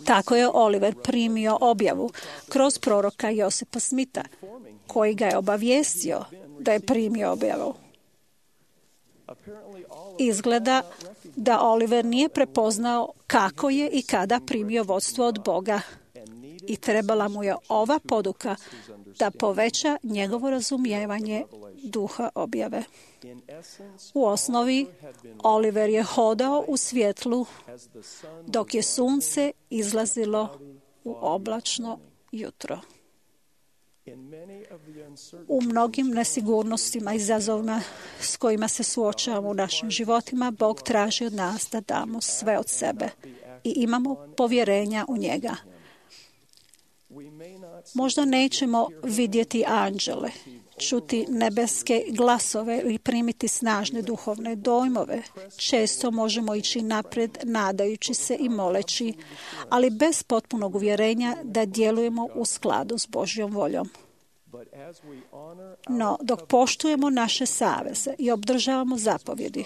[SPEAKER 5] Tako je Oliver primio objavu kroz proroka Josipa Smitha, koji ga je obavijestio da je primio objavu. Izgleda da Oliver nije prepoznao kako je i kada primio vodstvo od Boga i trebala mu je ova poduka da poveća njegovo razumijevanje duha objave. U osnovi, Oliver je hodao u svjetlu dok je sunce izlazilo u oblačno jutro. U mnogim nesigurnostima i izazovima s kojima se suočavamo u našim životima, Bog traži od nas da damo sve od sebe i imamo povjerenja u njega. Možda nećemo vidjeti anđele, čuti nebeske glasove ili primiti snažne duhovne dojmove. Često možemo ići naprijed nadajući se i moleći, ali bez potpunog uvjerenja da djelujemo u skladu s Božjom voljom. No, dok poštujemo naše saveze i obdržavamo zapovjedi,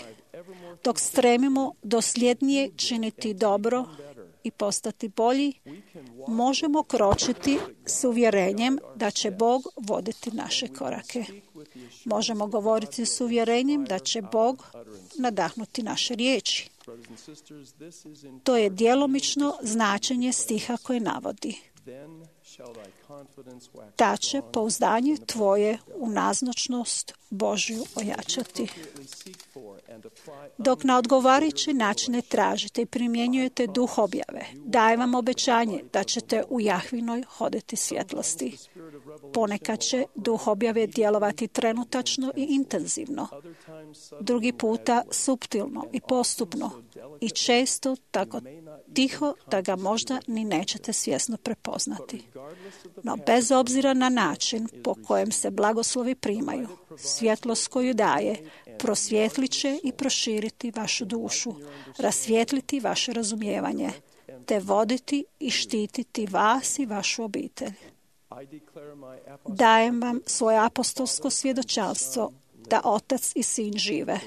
[SPEAKER 5] dok stremimo dosljednije činiti dobro i postati bolji, možemo kročiti s uvjerenjem da će Bog voditi naše korake. Možemo govoriti s uvjerenjem da će Bog nadahnuti naše riječi. To je djelomično značenje stiha koje navodi: ta će pouzdanje tvoje u nazočnost Božju ojačati. Dok na odgovarajuće načine tražite i primjenjujete duh objave, dajem vam obećanje da ćete u Jahvinoj hoditi svjetlosti. Ponekad će duh objave djelovati trenutačno i intenzivno, drugi puta suptilno i postupno i često tako tiho da ga možda ni nećete svjesno prepoznati. No bez obzira na način po kojem se blagoslovi primaju, svjetlost koju daje prosvjetlit će i proširiti vašu dušu, rasvijetliti vaše razumijevanje, te voditi i štititi vas i vašu obitelj. Dajem vam svoje apostolsko svjedočanstvo da Otac i Sin žive.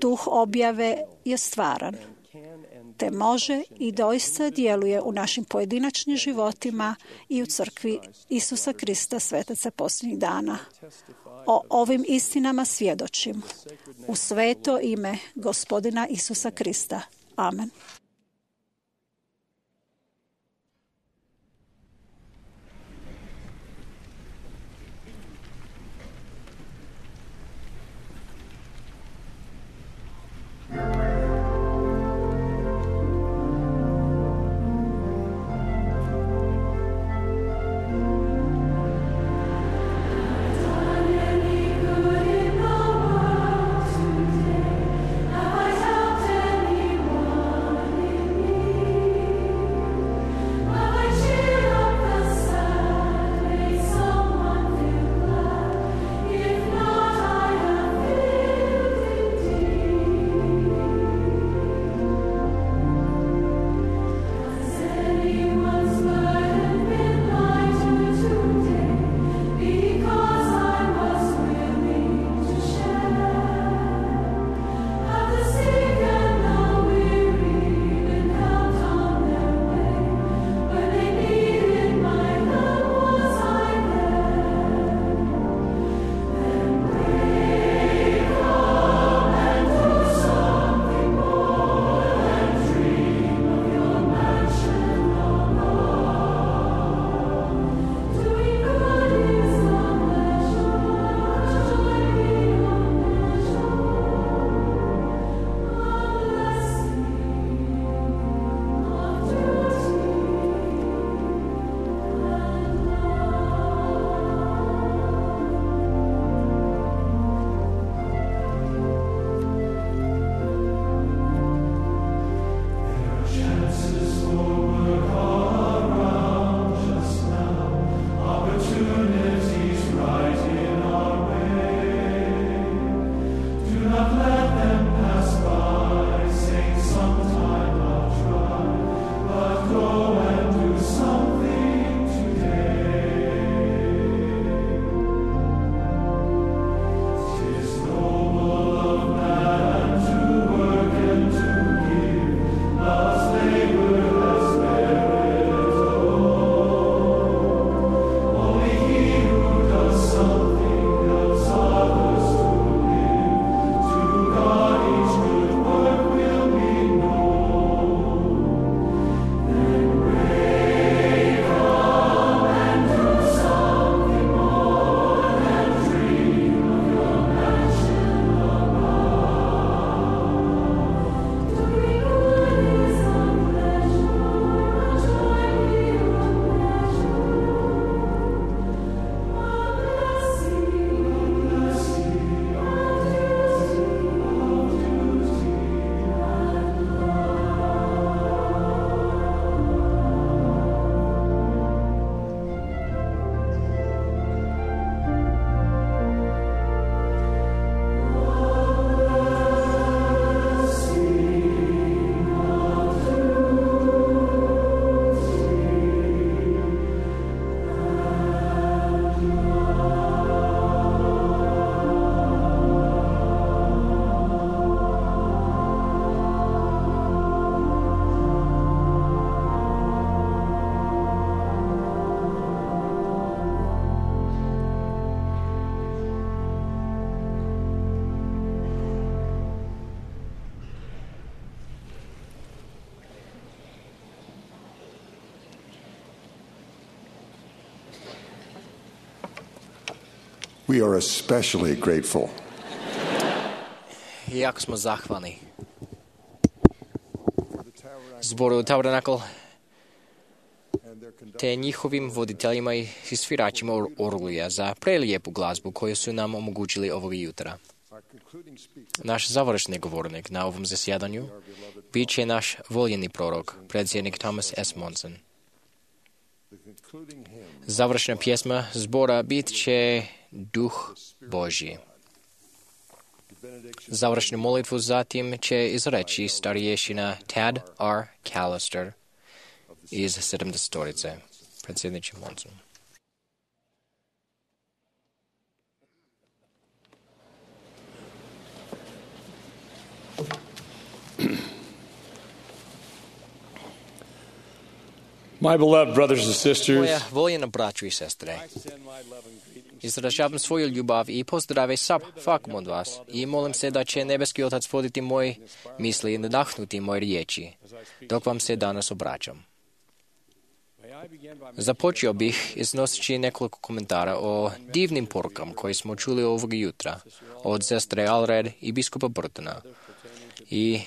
[SPEAKER 5] Duh objave je stvaran, te može i doista djeluje u našim pojedinačnim životima i u crkvi Isusa Krista, svetaca posljednjih dana. O ovim istinama svjedočim u sveto ime Gospodina Isusa Krista. Amen.
[SPEAKER 8] Have I helped anyone?
[SPEAKER 3] We are especially grateful.
[SPEAKER 2] Jako smo zahvalni zboru Tabernacle te njihovim voditeljima i sviračima orglija za prelijepu glazbu koju su nam omogućili ovog jutra. Naš završni govornik na ovom zasjedanju bit će naš voljeni prorok, predsjednik Thomas S. Monson. Završna pjesma zbora bit će Duh Božji. Završnu molitvu zatim će izreći starješina Tad R. Callister iz sedamdesetorice. Predsjedniče Monson.
[SPEAKER 7] My beloved brothers and sisters,
[SPEAKER 2] Moja voljena braću i sestre, izražavam svoju ljubav i pozdrave svakom od vas i molim se da će nebeski Otac voditi moje misli i nadahnuti moje riječi dok vam se danas obraćam. Započeo bih iznoseći nekoliko komentara o divnim porukama koje smo čuli ovog jutra od sestre Alred i biskupa Burtona i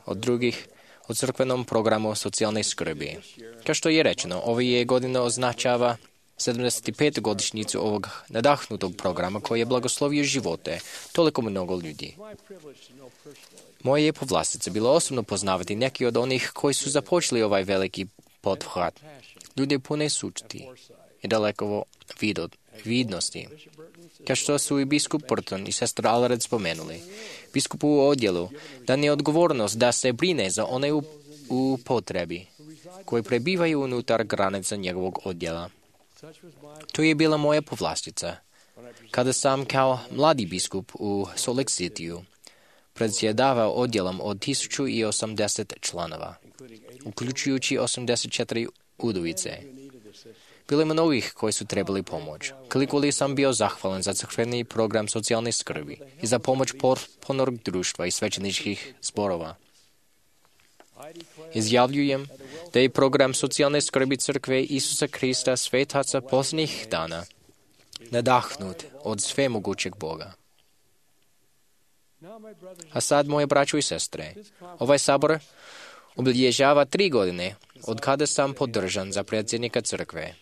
[SPEAKER 2] od drugih o crkvenom programu socijalne skrbi. Kao što je rečeno, ova je godina označava sedamdeset pet godišnjicu ovog nadahnutog programa koji je blagoslovio živote toliko mnogo ljudi. Moje je povlastica bilo osobno poznavati neki od onih koji su započeli ovaj veliki pothvat. Ljudi pune sučti i daleko vidnosti. Kao što su i biskup Burton i sestra Alred spomenuli, biskupu u odjelu dan je odgovornost da se brine za one u, u potrebi koji prebivaju unutar granica njegovog odjela. To je bila moja povlastica kada sam kao mladi biskup u Salt Lake Cityu predsjedavao odjelom od tisuću osamdeset članova, uključujući osamdeset četiri udovice. Bilo je mnogih koji su trebali pomoć. Koliko li sam bio zahvalan za crkveni program socijalne skrbi i za pomoć potpornog društva i svećeničkih zborova. Izjavljujem da je program socijalne skrbi crkve Isusa Krista svetaca posljednjih dana nadahnut od svemogućeg Boga. A sad, moje braćo i sestre, ovaj sabor obilježava tri godine od kada sam podržan za predsjednika crkve.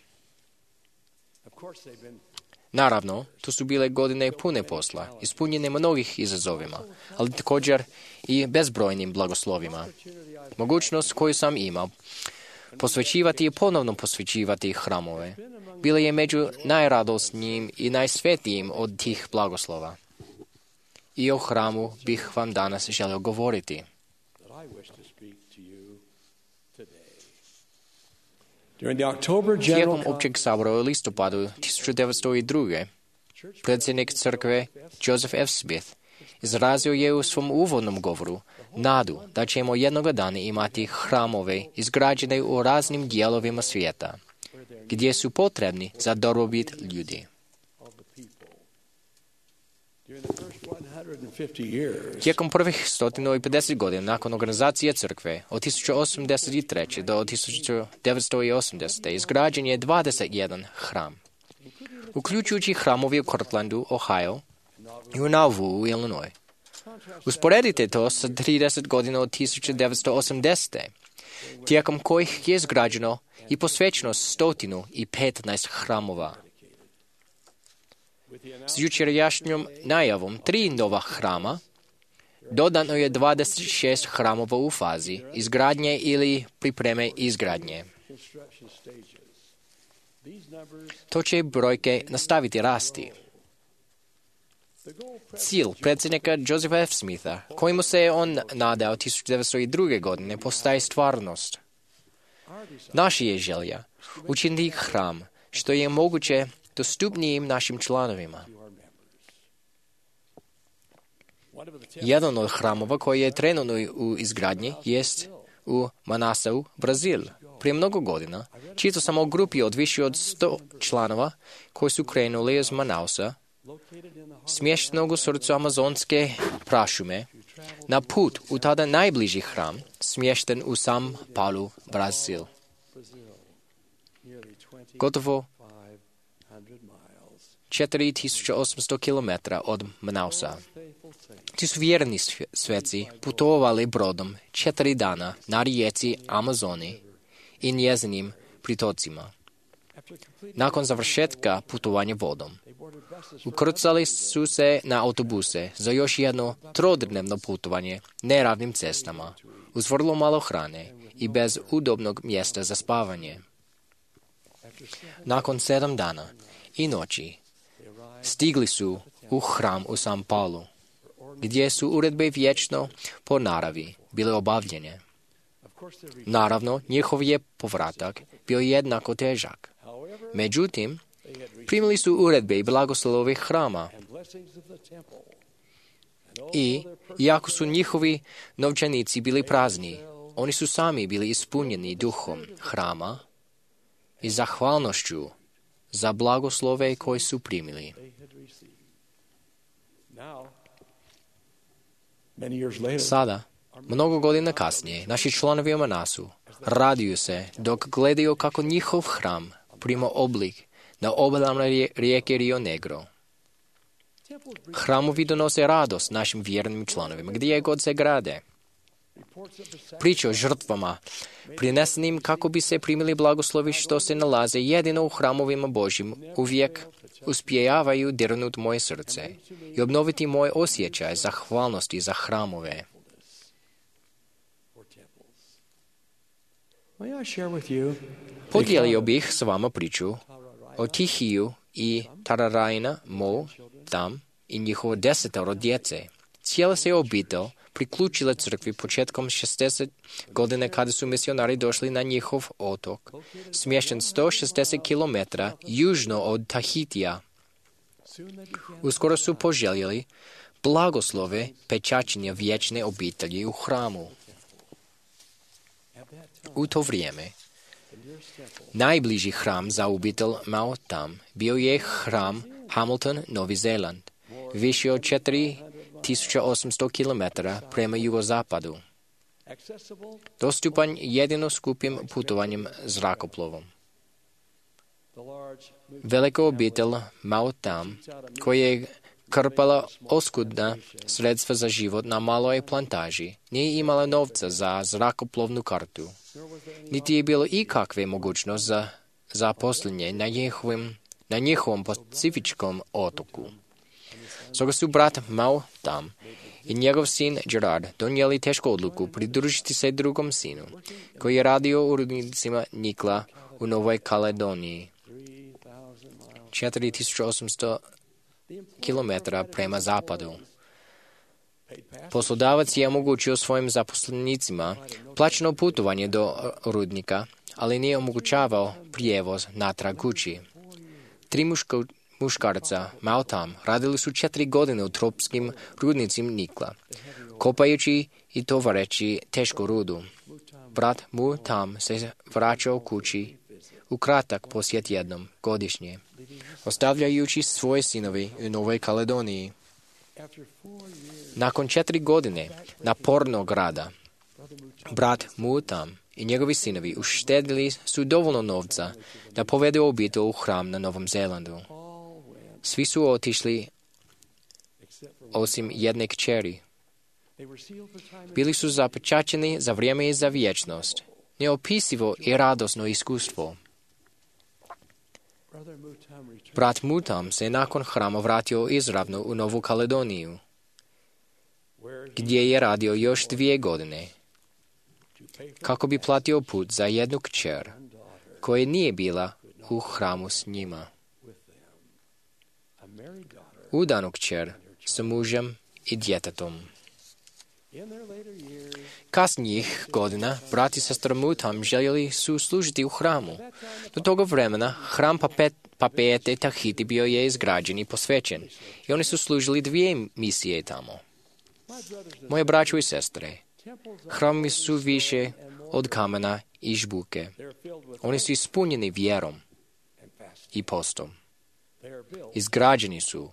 [SPEAKER 2] Naravno, to su bile godine pune posla, ispunjene mnogih izazovima, ali također i bezbrojnim blagoslovima. Mogućnost koju sam imao posvećivati i ponovno posvećivati hramove bila je među najradosnijim i najsvetijim od tih blagoslova. I o hramu bih vam danas želio govoriti. Tijekom općeg sabora u listopadu tisuću devetsto druge. predsjednik crkve Joseph F. Smith izrazio je u svom uvodnom govoru nadu da ćemo jednoga dana imati hramove izgrađene u raznim dijelovima svijeta, gdje su potrebni za dobrobit ljudi. Tijekom prvih sto pedeset godina nakon organizacije crkve od tisuću osamdeset treće. do tisuću devetsto osamdesete. izgrađen je dvadeset jedan hram, uključujući hramovi u Cortlandu, Ohio i u Nauvoo u Illinois. Usporedite to sa trideset godina od tisuću devetsto osamdesete. tijekom kojih je izgrađeno i posvećeno sto petnaest hramova. S jučerašnjom najavom tri nova hrama dodano je dvadeset šest hramova u fazi izgradnje ili pripreme izgradnje. To će brojke nastaviti rasti. Cilj predsjednika Josepha F. Smitha, kojemu se on nadao tisuću devetsto druge. godine, postaje stvarnost. Naša je želja učiniti hram što je moguće dostupnijim našim članovima. Jedan od hramova koji je trenutno u izgradnji jest u Manassau, Brazil. Prije mnogo godina čitao sam o grupi od više od sto članova koji su krenuli iz Manausa, smještenog u srcu amazonske prašume, na put u tada najbliži hram, smješten u São Paulo, Brazil. Gotovo četiri tisuće osamsto kilometara od Manausa. Ti su vjerni sveci putovali brodom četiri dana na rijeci Amazoni i njezinim pritocima. Nakon završetka putovanja vodom, ukrcali su se na autobuse za još jedno trodnevno putovanje neravnim cestama, uz vrlo malo hrane i bez udobnog mjesta za spavanje. Nakon sedam dana i noći stigli su u hram u San Paulu, gdje su uredbe vječno po naravi bile obavljene. Naravno, njihov je povratak bio jednako težak. Međutim, primili su uredbe i blagoslove hrama. I, iako su njihovi novčanici bili prazni, oni su sami bili ispunjeni duhom hrama i zahvalnošću za blagoslove koje su primili. Sada, mnogo godina kasnije, naši članovi u Manasu raduju se dok gledaju kako njihov hram prima oblik na obalama rijeke Rio Negro. Hramovi donose radost našim vjernim članovima gdje god se grade. Priče o žrtvama prinesenim kako bi se primili blagoslovi što se nalaze jedino u hramovima Božjim uvijek uspijevaju dirnuti moje srce i obnoviti moj osjećaj zahvalnosti za hramove. Podijelio bih s vama priču o Tihiju i Tararajna, Mo, Tam i njihovo desetoro djece. Cijela se obitelj priključila crkvi početkom šezdeset godine kada su misionari došli na njihov otok, smješten sto šezdeset kilometara južno od Tahitija. Uskoro su poželjeli blagoslove pečaćenja vječne obitelji u hramu. U to vrijeme najbliži hram za obitelj Mao Tam bio je hram Hamilton, Novi Zeland, više od četiri tisuće osamsto kilometara prema jugozapadu. Dostupan jedino skupim putovanjem zrakoplovom. Velika obitelj Mao Tam, koja je krpala oskudna sredstva za život na maloj plantaži, nije imala novca za zrakoplovnu kartu, niti je bilo ikakve mogućnost za zaposlenje na njihovim, na njihovom pacifičkom otoku. Stoga su brat Mao Tam i njegov sin Gerard donijeli tešku odluku pridružiti se drugom sinu, koji je radio u rudnicima nikla u Novoj Kaledoniji, četiri tisuće osamsto kilometara prema zapadu. Poslodavac je omogućio svojim zaposlenicima plaćeno putovanje do rudnika, ali nije omogućavao prijevoz natrag kući. Tri muško, muškarca, Mao Tam, radili su četiri godine u tropskim rudnicima nikla, kopajući i tovareći tešku rudu. Brat Mu Tam se vraćao kući u kratak posjet jednom godišnje, ostavljajući svoje sinove u Novoj Kaledoniji. Nakon četiri godine napornog rada, brat Mu Tam i njegovi sinovi uštedili su dovoljno novca da povedu obitelj u hram na Novom Zelandu. Svi su otišli osim jedne kćeri. Bili su zapečaćeni za vrijeme i za vječnost. Neopisivo i radosno iskustvo. Brat Mu Tam se nakon hrama vratio izravno u Novu Kaledoniju, gdje je radio još dvije godine, kako bi platio put za jednu kćer, koja nije bila u hramu s njima. Udanu kćer s mužem i djetetom. Kasnijih godina, brat i sestra Mu Tam željeli su služiti u hramu. Do toga vremena, hram Papeete Tahiti bio je izgrađen i posvećen, i oni su služili dvije misije tamo. Moje braćo i sestre, hrami su više od kamena i žbuke. Oni su ispunjeni vjerom i postom. Izgrađeni su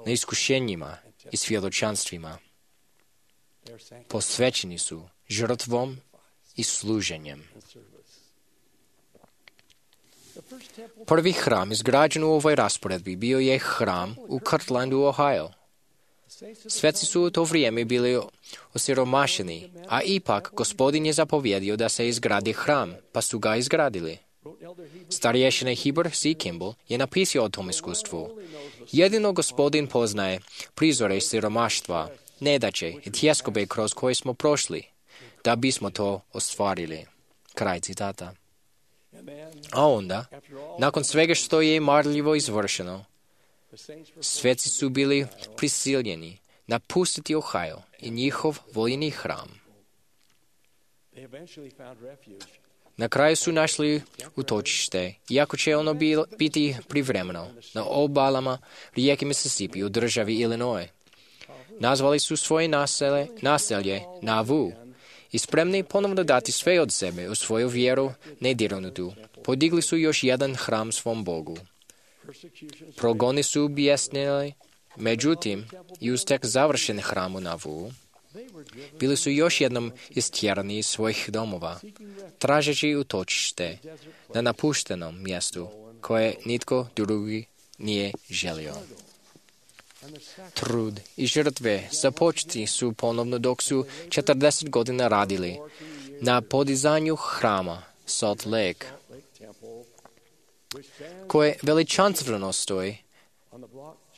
[SPEAKER 2] na iskušenjima i svjedočanstvima. Posvećeni su žrtvom i služenjem. Prvi hram izgrađen u ovoj rasporedbi bio je hram u Kirtlandu, Ohio. Sveci su u to vrijeme bili osiromašeni, a ipak Gospodin je zapovjedio da se izgradi hram, pa su ga izgradili. Starješina Heber C. Kimball je napisao o tom iskustvu. Jedino Gospodin poznaje prizore siromaštva, nedaće i tjeskobe kroz koje smo prošli, da bismo to ostvarili. Kraj citata. A onda, nakon svega što je marljivo izvršeno, sveci su bili prisiljeni napustiti Ohio i njihov voljeni hram. Na kraju su našli utočište, iako će ono biti privremeno, na obalama rijeke Mississippi u državi Illinois. Nazvali su svoje naselje, naselje Nauvoo i spremni ponovno dati sve od sebe u svoju vjeru nedirnutu. Podigli su još jedan hram svom Bogu. Progoni su objesnili, međutim, i uz tek završen hram u Nauvoo, bili su još jednom istjerani iz svojih domova, tražeći utočište na napuštenom mjestu koje nitko drugi nije želio. Trud i žrtve započeti su ponovno dok su četrdeset godina radili na podizanju hrama Salt Lake, koje veličanstveno stoji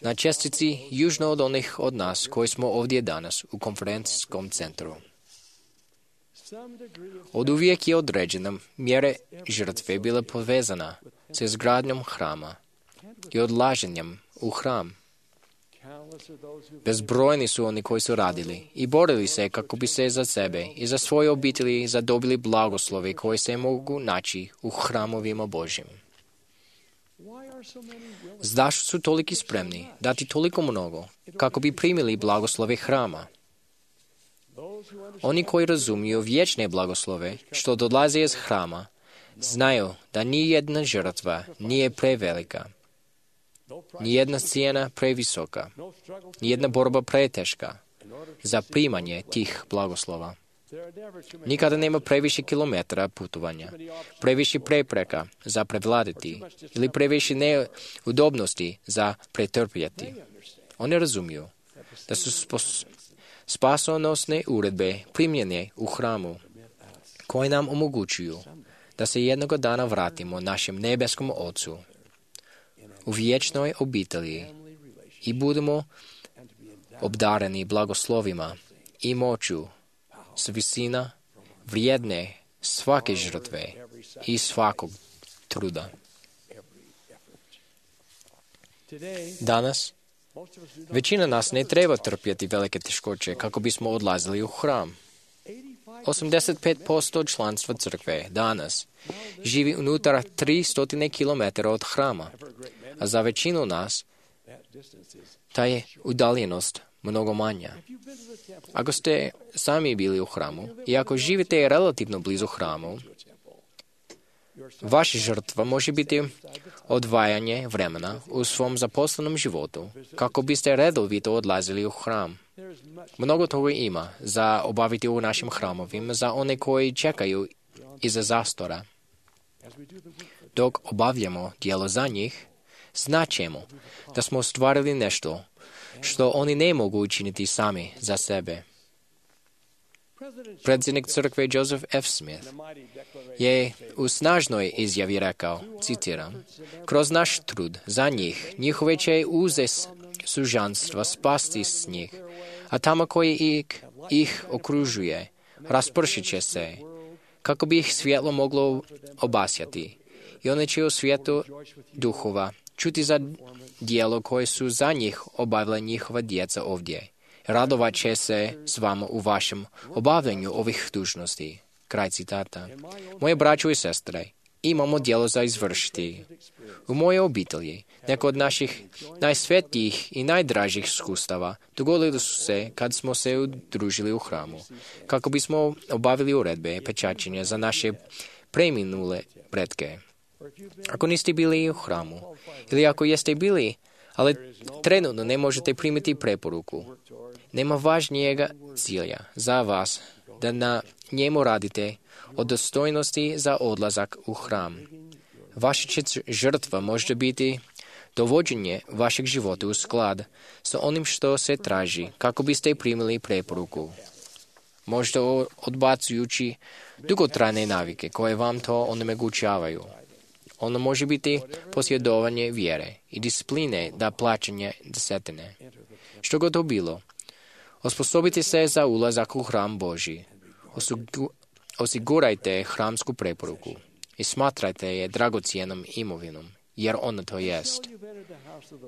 [SPEAKER 2] na čestici južno od onih od nas koji smo ovdje danas u konferencijskom centru. Od uvijek je određena mjere žrtve bila povezana s izgradnjom hrama i odlaženjem u hram. Bezbrojni su oni koji su radili i borili se kako bi se za sebe i za svoje obitelji zadobili blagoslove koje se mogu naći u hramovima Božjim. Zašto su toliki spremni dati toliko mnogo kako bi primili blagoslove hrama? Oni koji razumiju vječne blagoslove što dolaze iz hrama, znaju da nijedna žrtva nije prevelika, nijedna cijena previsoka, nijedna borba preteška za primanje tih blagoslova. Nikada nema previše kilometara putovanja, previše prepreka za prevladati ili previše neudobnosti za pretrpjeti. Oni razumiju da su spos- spasonosne uredbe primljene u hramu koje nam omogućuju da se jednoga dana vratimo našem nebeskom Ocu u vječnoj obitelji i budemo obdareni blagoslovima i moću s visina vrijedne svake žrtve i svakog truda. Danas, većina nas ne treba trpjeti velike teškoće kako bismo odlazili u hram. osamdeset pet posto članstva crkve danas živi unutar tristo kilometara od hrama, a za većinu nas ta je udaljenost mnogo manja. Ako ste sami bili u hramu i ako živite relativno blizu hramu, vaša žrtva može biti odvajanje vremena u svom zaposlenom životu kako biste redovito odlazili u hram. Mnogo toga ima za obaviti u našim hramovima za one koji čekaju iza zastora. Dok obavljamo djelo za njih, znaćemo da smo ostvarili nešto što oni ne mogu učiniti sami za sebe. Predsjednik crkve Joseph F. Smith je u snažnoj izjavi rekao, citiram, kroz naš trud za njih, njihove će uze sužanstva spasti s njih, a tamo koji ih, ih okružuje, raspršit će se, kako bi ih svjetlo moglo obasjati. I one će u svijetu duhova čuti za dijelo koje su za njih obavila njihova djeca ovdje. Radovat će se s vama u vašem obavljanju ovih dužnosti. Kraj citata. Moje braćo i sestre, imamo djelo za izvršiti. U moje obitelji, neko od naših najsvetijih i najdražih iskustava dogodili su se kad smo se udružili u hramu, kako bismo obavili uredbe pečaćenja za naše preminule pretke. Ako niste bili u hramu, ili ako jeste bili, ali trenutno ne možete primiti preporuku, nema važnijega cilja za vas da na njemu radite od dostojnosti za odlazak u hram. Vaša će žrtva može biti dovođenje vašeg života u sklad sa onim što se traži, kako biste primili preporuku. Možda odbacujući dugotrajne navike koje vam to onemogućavaju. Ono može biti posjedovanje vjere i discipline da plaćanje desetine. Što god to bilo, osposobite se za ulazak u hram Božji. Osigurajte hramsku preporuku i smatrajte je dragocjenom imovinom, jer ona to jest.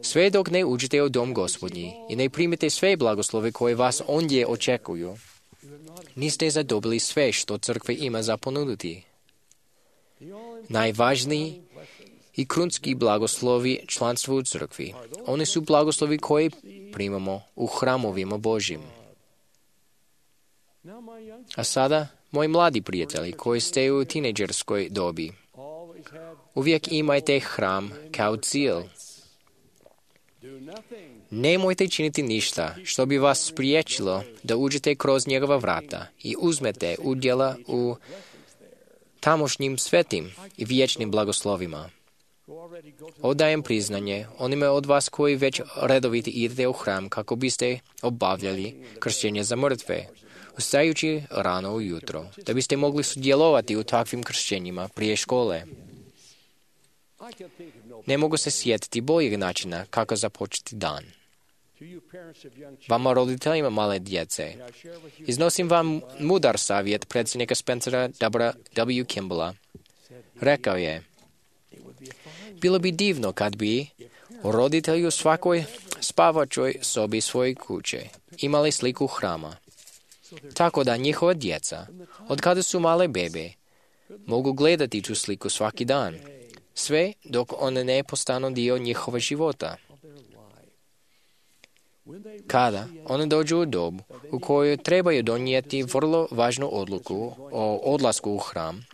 [SPEAKER 2] Sve dok ne uđete u dom Gospodnji i ne primite sve blagoslove koje vas ondje očekuju, niste zadobili sve što crkva ima za ponuditi. Najvažniji i krunski blagoslovi članstva u crkvi. Oni su blagoslovi koje primamo u hramovima Božjim. A sada, moji mladi prijatelji koji ste u tinejdžerskoj dobi, uvijek imajte hram kao cilj. Nemojte činiti ništa što bi vas spriječilo da uđete kroz njegova vrata i uzmete udjela u tamošnjim svetim i vječnim blagoslovima. Odajem priznanje onima od vas koji već redovito idete u hram kako biste obavljali kršćenje za mrtve, ustajući rano ujutro, da biste mogli sudjelovati u takvim kršćenjima prije škole. Ne mogu se sjetiti boljeg načina kako započeti dan. Vama roditeljima male djece, iznosim vam mudar savjet predsjednika Spencera W. Kimballa. Rekao je, bilo bi divno kad bi roditelji u svakoj spavačoj sobi svoje kuće imali sliku hrama, tako da njihova djeca, od kada su male bebe, mogu gledati tu sliku svaki dan, sve dok one ne postanu dio njihova života. Kada one dođu u dobu u kojoj trebaju donijeti vrlo važnu odluku o odlasku u hram,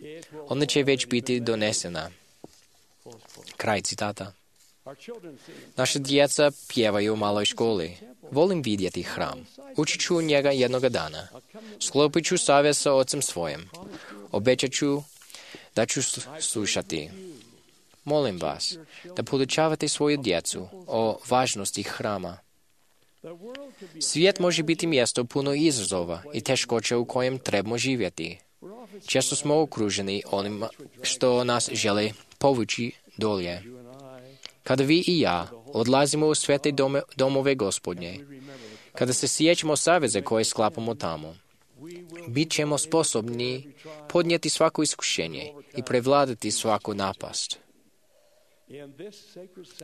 [SPEAKER 2] ona će već biti donesena. Kraj citata. Naša djeca pjevaju u maloj školi. Volim vidjeti hram. Učit ću njega jednoga dana. Sklopit ću savez sa ocem svojim. Obećat ću da ću slušati. Molim vas da podučavate svoju djecu o važnosti hrama. Svijet može biti mjesto puno izazova i teškoća u kojem trebamo živjeti. Često smo okruženi onima što nas žele povući dolje. Kada vi i ja odlazimo u svete dome, domove Gospodnje, kada se sjećamo saveze koje sklapamo tamo, bit ćemo sposobni podnijeti svako iskušenje i prevladati svaku napast.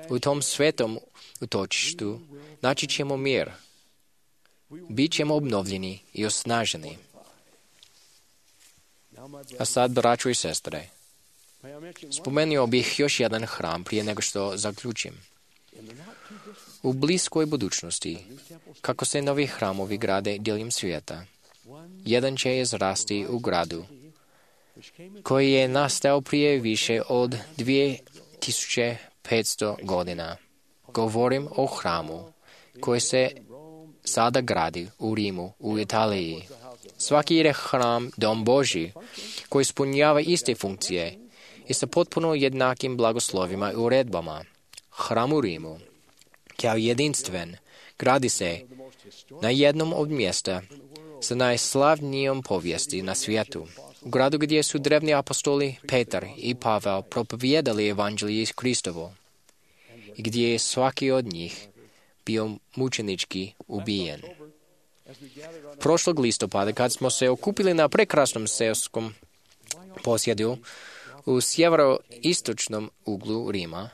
[SPEAKER 2] U tom svetom utočištu naći ćemo mir. Bit ćemo obnovljeni i osnaženi. A sad, braćo i sestre, spomenuo bih još jedan hram prije nego što zaključim. U bliskoj budućnosti, kako se novi hramovi grade diljem svijeta, jedan će izrasti u gradu, koji je nastao prije više od dvije tisuće petsto godina. Govorim o hramu koji se sada gradi u Rimu, u Italiji. Svaki je hram dom Božji koji ispunjava iste funkcije i sa potpuno jednakim blagoslovima i uredbama. Hram u Rimu, kao jedinstven, gradi se na jednom od mjesta sa najslavnijom povijesti na svijetu. U gradu gdje su drevni apostoli Petar i Pavel propovijedali evanđelje Kristovo i gdje je svaki od njih bio mučenički ubijen. Prošlog listopada, kad smo se okupili na prekrasnom seoskom posjedu u sjeveroistočnom uglu Rima,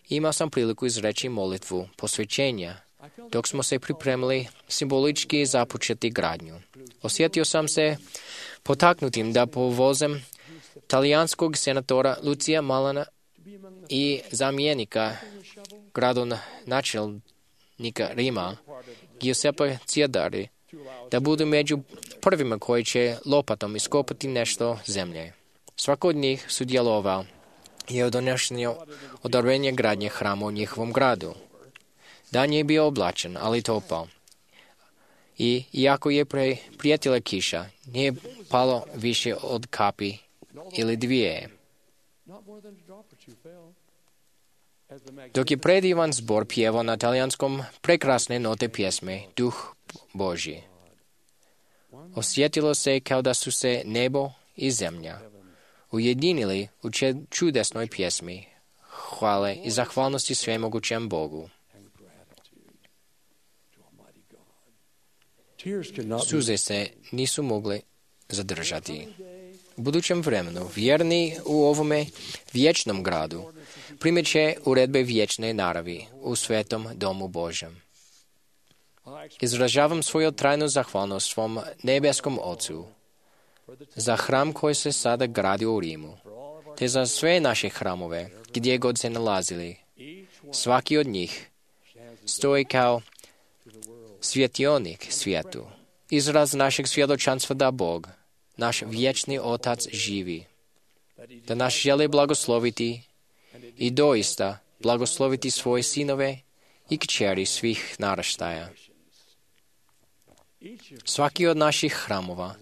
[SPEAKER 2] imao sam priliku izreći molitvu posvećenja, dok smo se pripremili simbolički započeti gradnju. Osjetio sam se potaknutim da povozem talijanskog senatora Lucija Malana i zamjenika gradonačelnika Rima Giuseppa Ciodari da budu među prvima koji će lopatom iskopati nešto zemlje. Svako od njih sudjelovao je u donošenju odobrenja gradnje hrama u njihovom gradu. Dan je bio oblačen, ali topao. I iako je pre, prijetila kiša, nije palo više od kapi ili dvije. Dok je predivan zbor pjevao na talijanskom prekrasne note pjesme Duh Božji. Osjetilo se kao da su se nebo i zemlja ujedinili u čudesnoj pjesmi hvale i zahvalnosti svemogućem Bogu. Suze se nisu mogli zadržati. U budućem vremenu, vjerni u ovome vječnom gradu, primjet će uredbe vječne naravi u svetom domu Božjem. Izražavam svoju trajnu zahvalnost svom nebeskom Ocu za hram koji se sada gradi u Rimu, te za sve naše hramove, gdje god se nalazili. Svaki od njih stoji kao svjetionik svijetu, izraz našeg svjedočanstva da Bog, naš vječni Otac, živi, da nas želi blagosloviti i doista blagosloviti svoje sinove i kćeri svih naraštaja. Svaki od naših hramova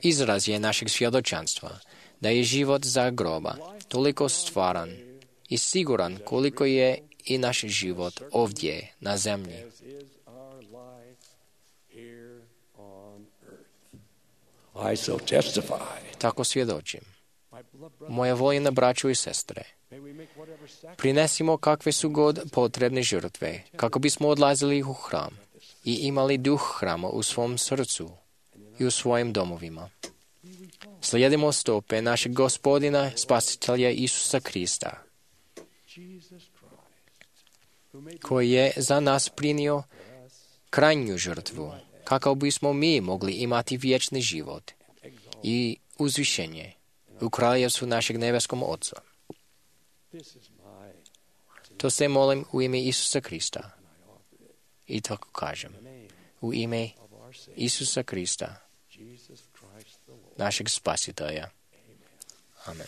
[SPEAKER 2] izraz je našeg svjedočanstva da je život za groba toliko stvaran i siguran koliko je i naš život ovdje na zemlji.
[SPEAKER 8] I so testify.
[SPEAKER 2] Tako svjedočim. Moja voljena braćo i sestre, prinesimo kakve su god potrebne žrtve, kako bismo odlazili u hram i imali duh hrama u svom srcu i u svojim domovima. Slijedimo stope našeg Gospodina, Spasitelja Isusa Krista, koji je za nas prinio krajnju žrtvu, kako bismo mi mogli imati vječni život i uzvišenje u kraljevstvu našeg nebeskom Oca. To se molim u ime Isusa Krista. I tako kažem, u ime Isusa Krista, našeg Spasitelja. Amen.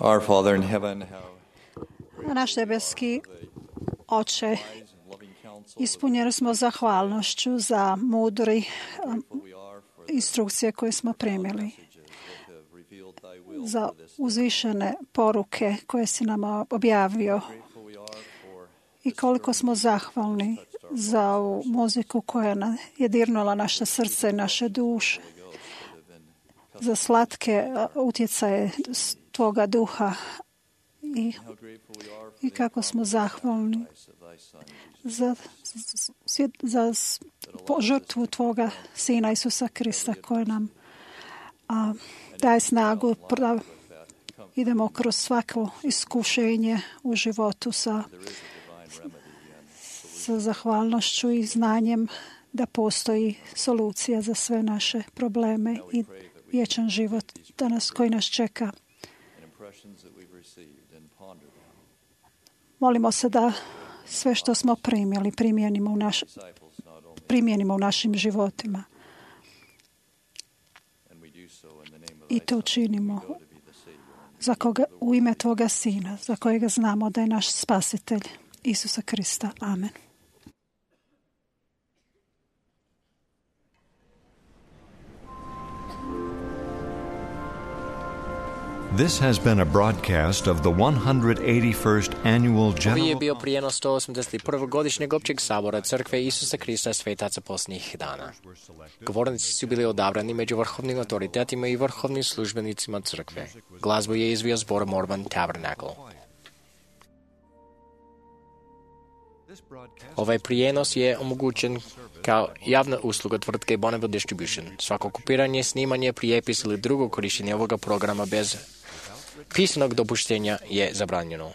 [SPEAKER 9] Our Father in heaven, how
[SPEAKER 5] Naš nebeski Oče, ispunjeni smo zahvalnošću za mudri um, instrukcije koje smo primili, za uzvišene poruke koje si nam objavio i koliko smo zahvalni za ovu muziku koja je dirnula naše srce i naše duše, za slatke utjecaje Tvoga duha i, i kako smo zahvalni za, za, za žrtvu Tvoga Sina Isusa Krista koja nam a, daje snagu da idemo kroz svako iskušenje u životu sa, sa zahvalnošću i znanjem da postoji solucija za sve naše probleme i vječan život danas koji nas čeka. Molimo se da sve što smo primjeli primjenimo u, naš, primjenimo u našim životima. I to učinimo za koga, u ime Tvoga Sina, za kojega znamo da je naš spasitelj, Isusa Krista. Amen.
[SPEAKER 4] This has been a broadcast of the one hundred eighty-first Annual General...
[SPEAKER 2] Ovo je bio prijenos sto osamdeset prvog godišnjeg općeg sabora Crkve Isusa Krista svetaca posljednjih dana. Govornici su bili odabrani među vrhovnim autoritetima i vrhovnim službenicima Crkve. Glazbu je izvio zbor Mormon Tabernacle. Ovaj prijenos je omogućen kao javna usluga tvrtke Bonneville Distribution. Svako kopiranje, snimanje, prijepis ili drugo korištenje ovoga programa bez pisanog dopuštenja je zabranjeno.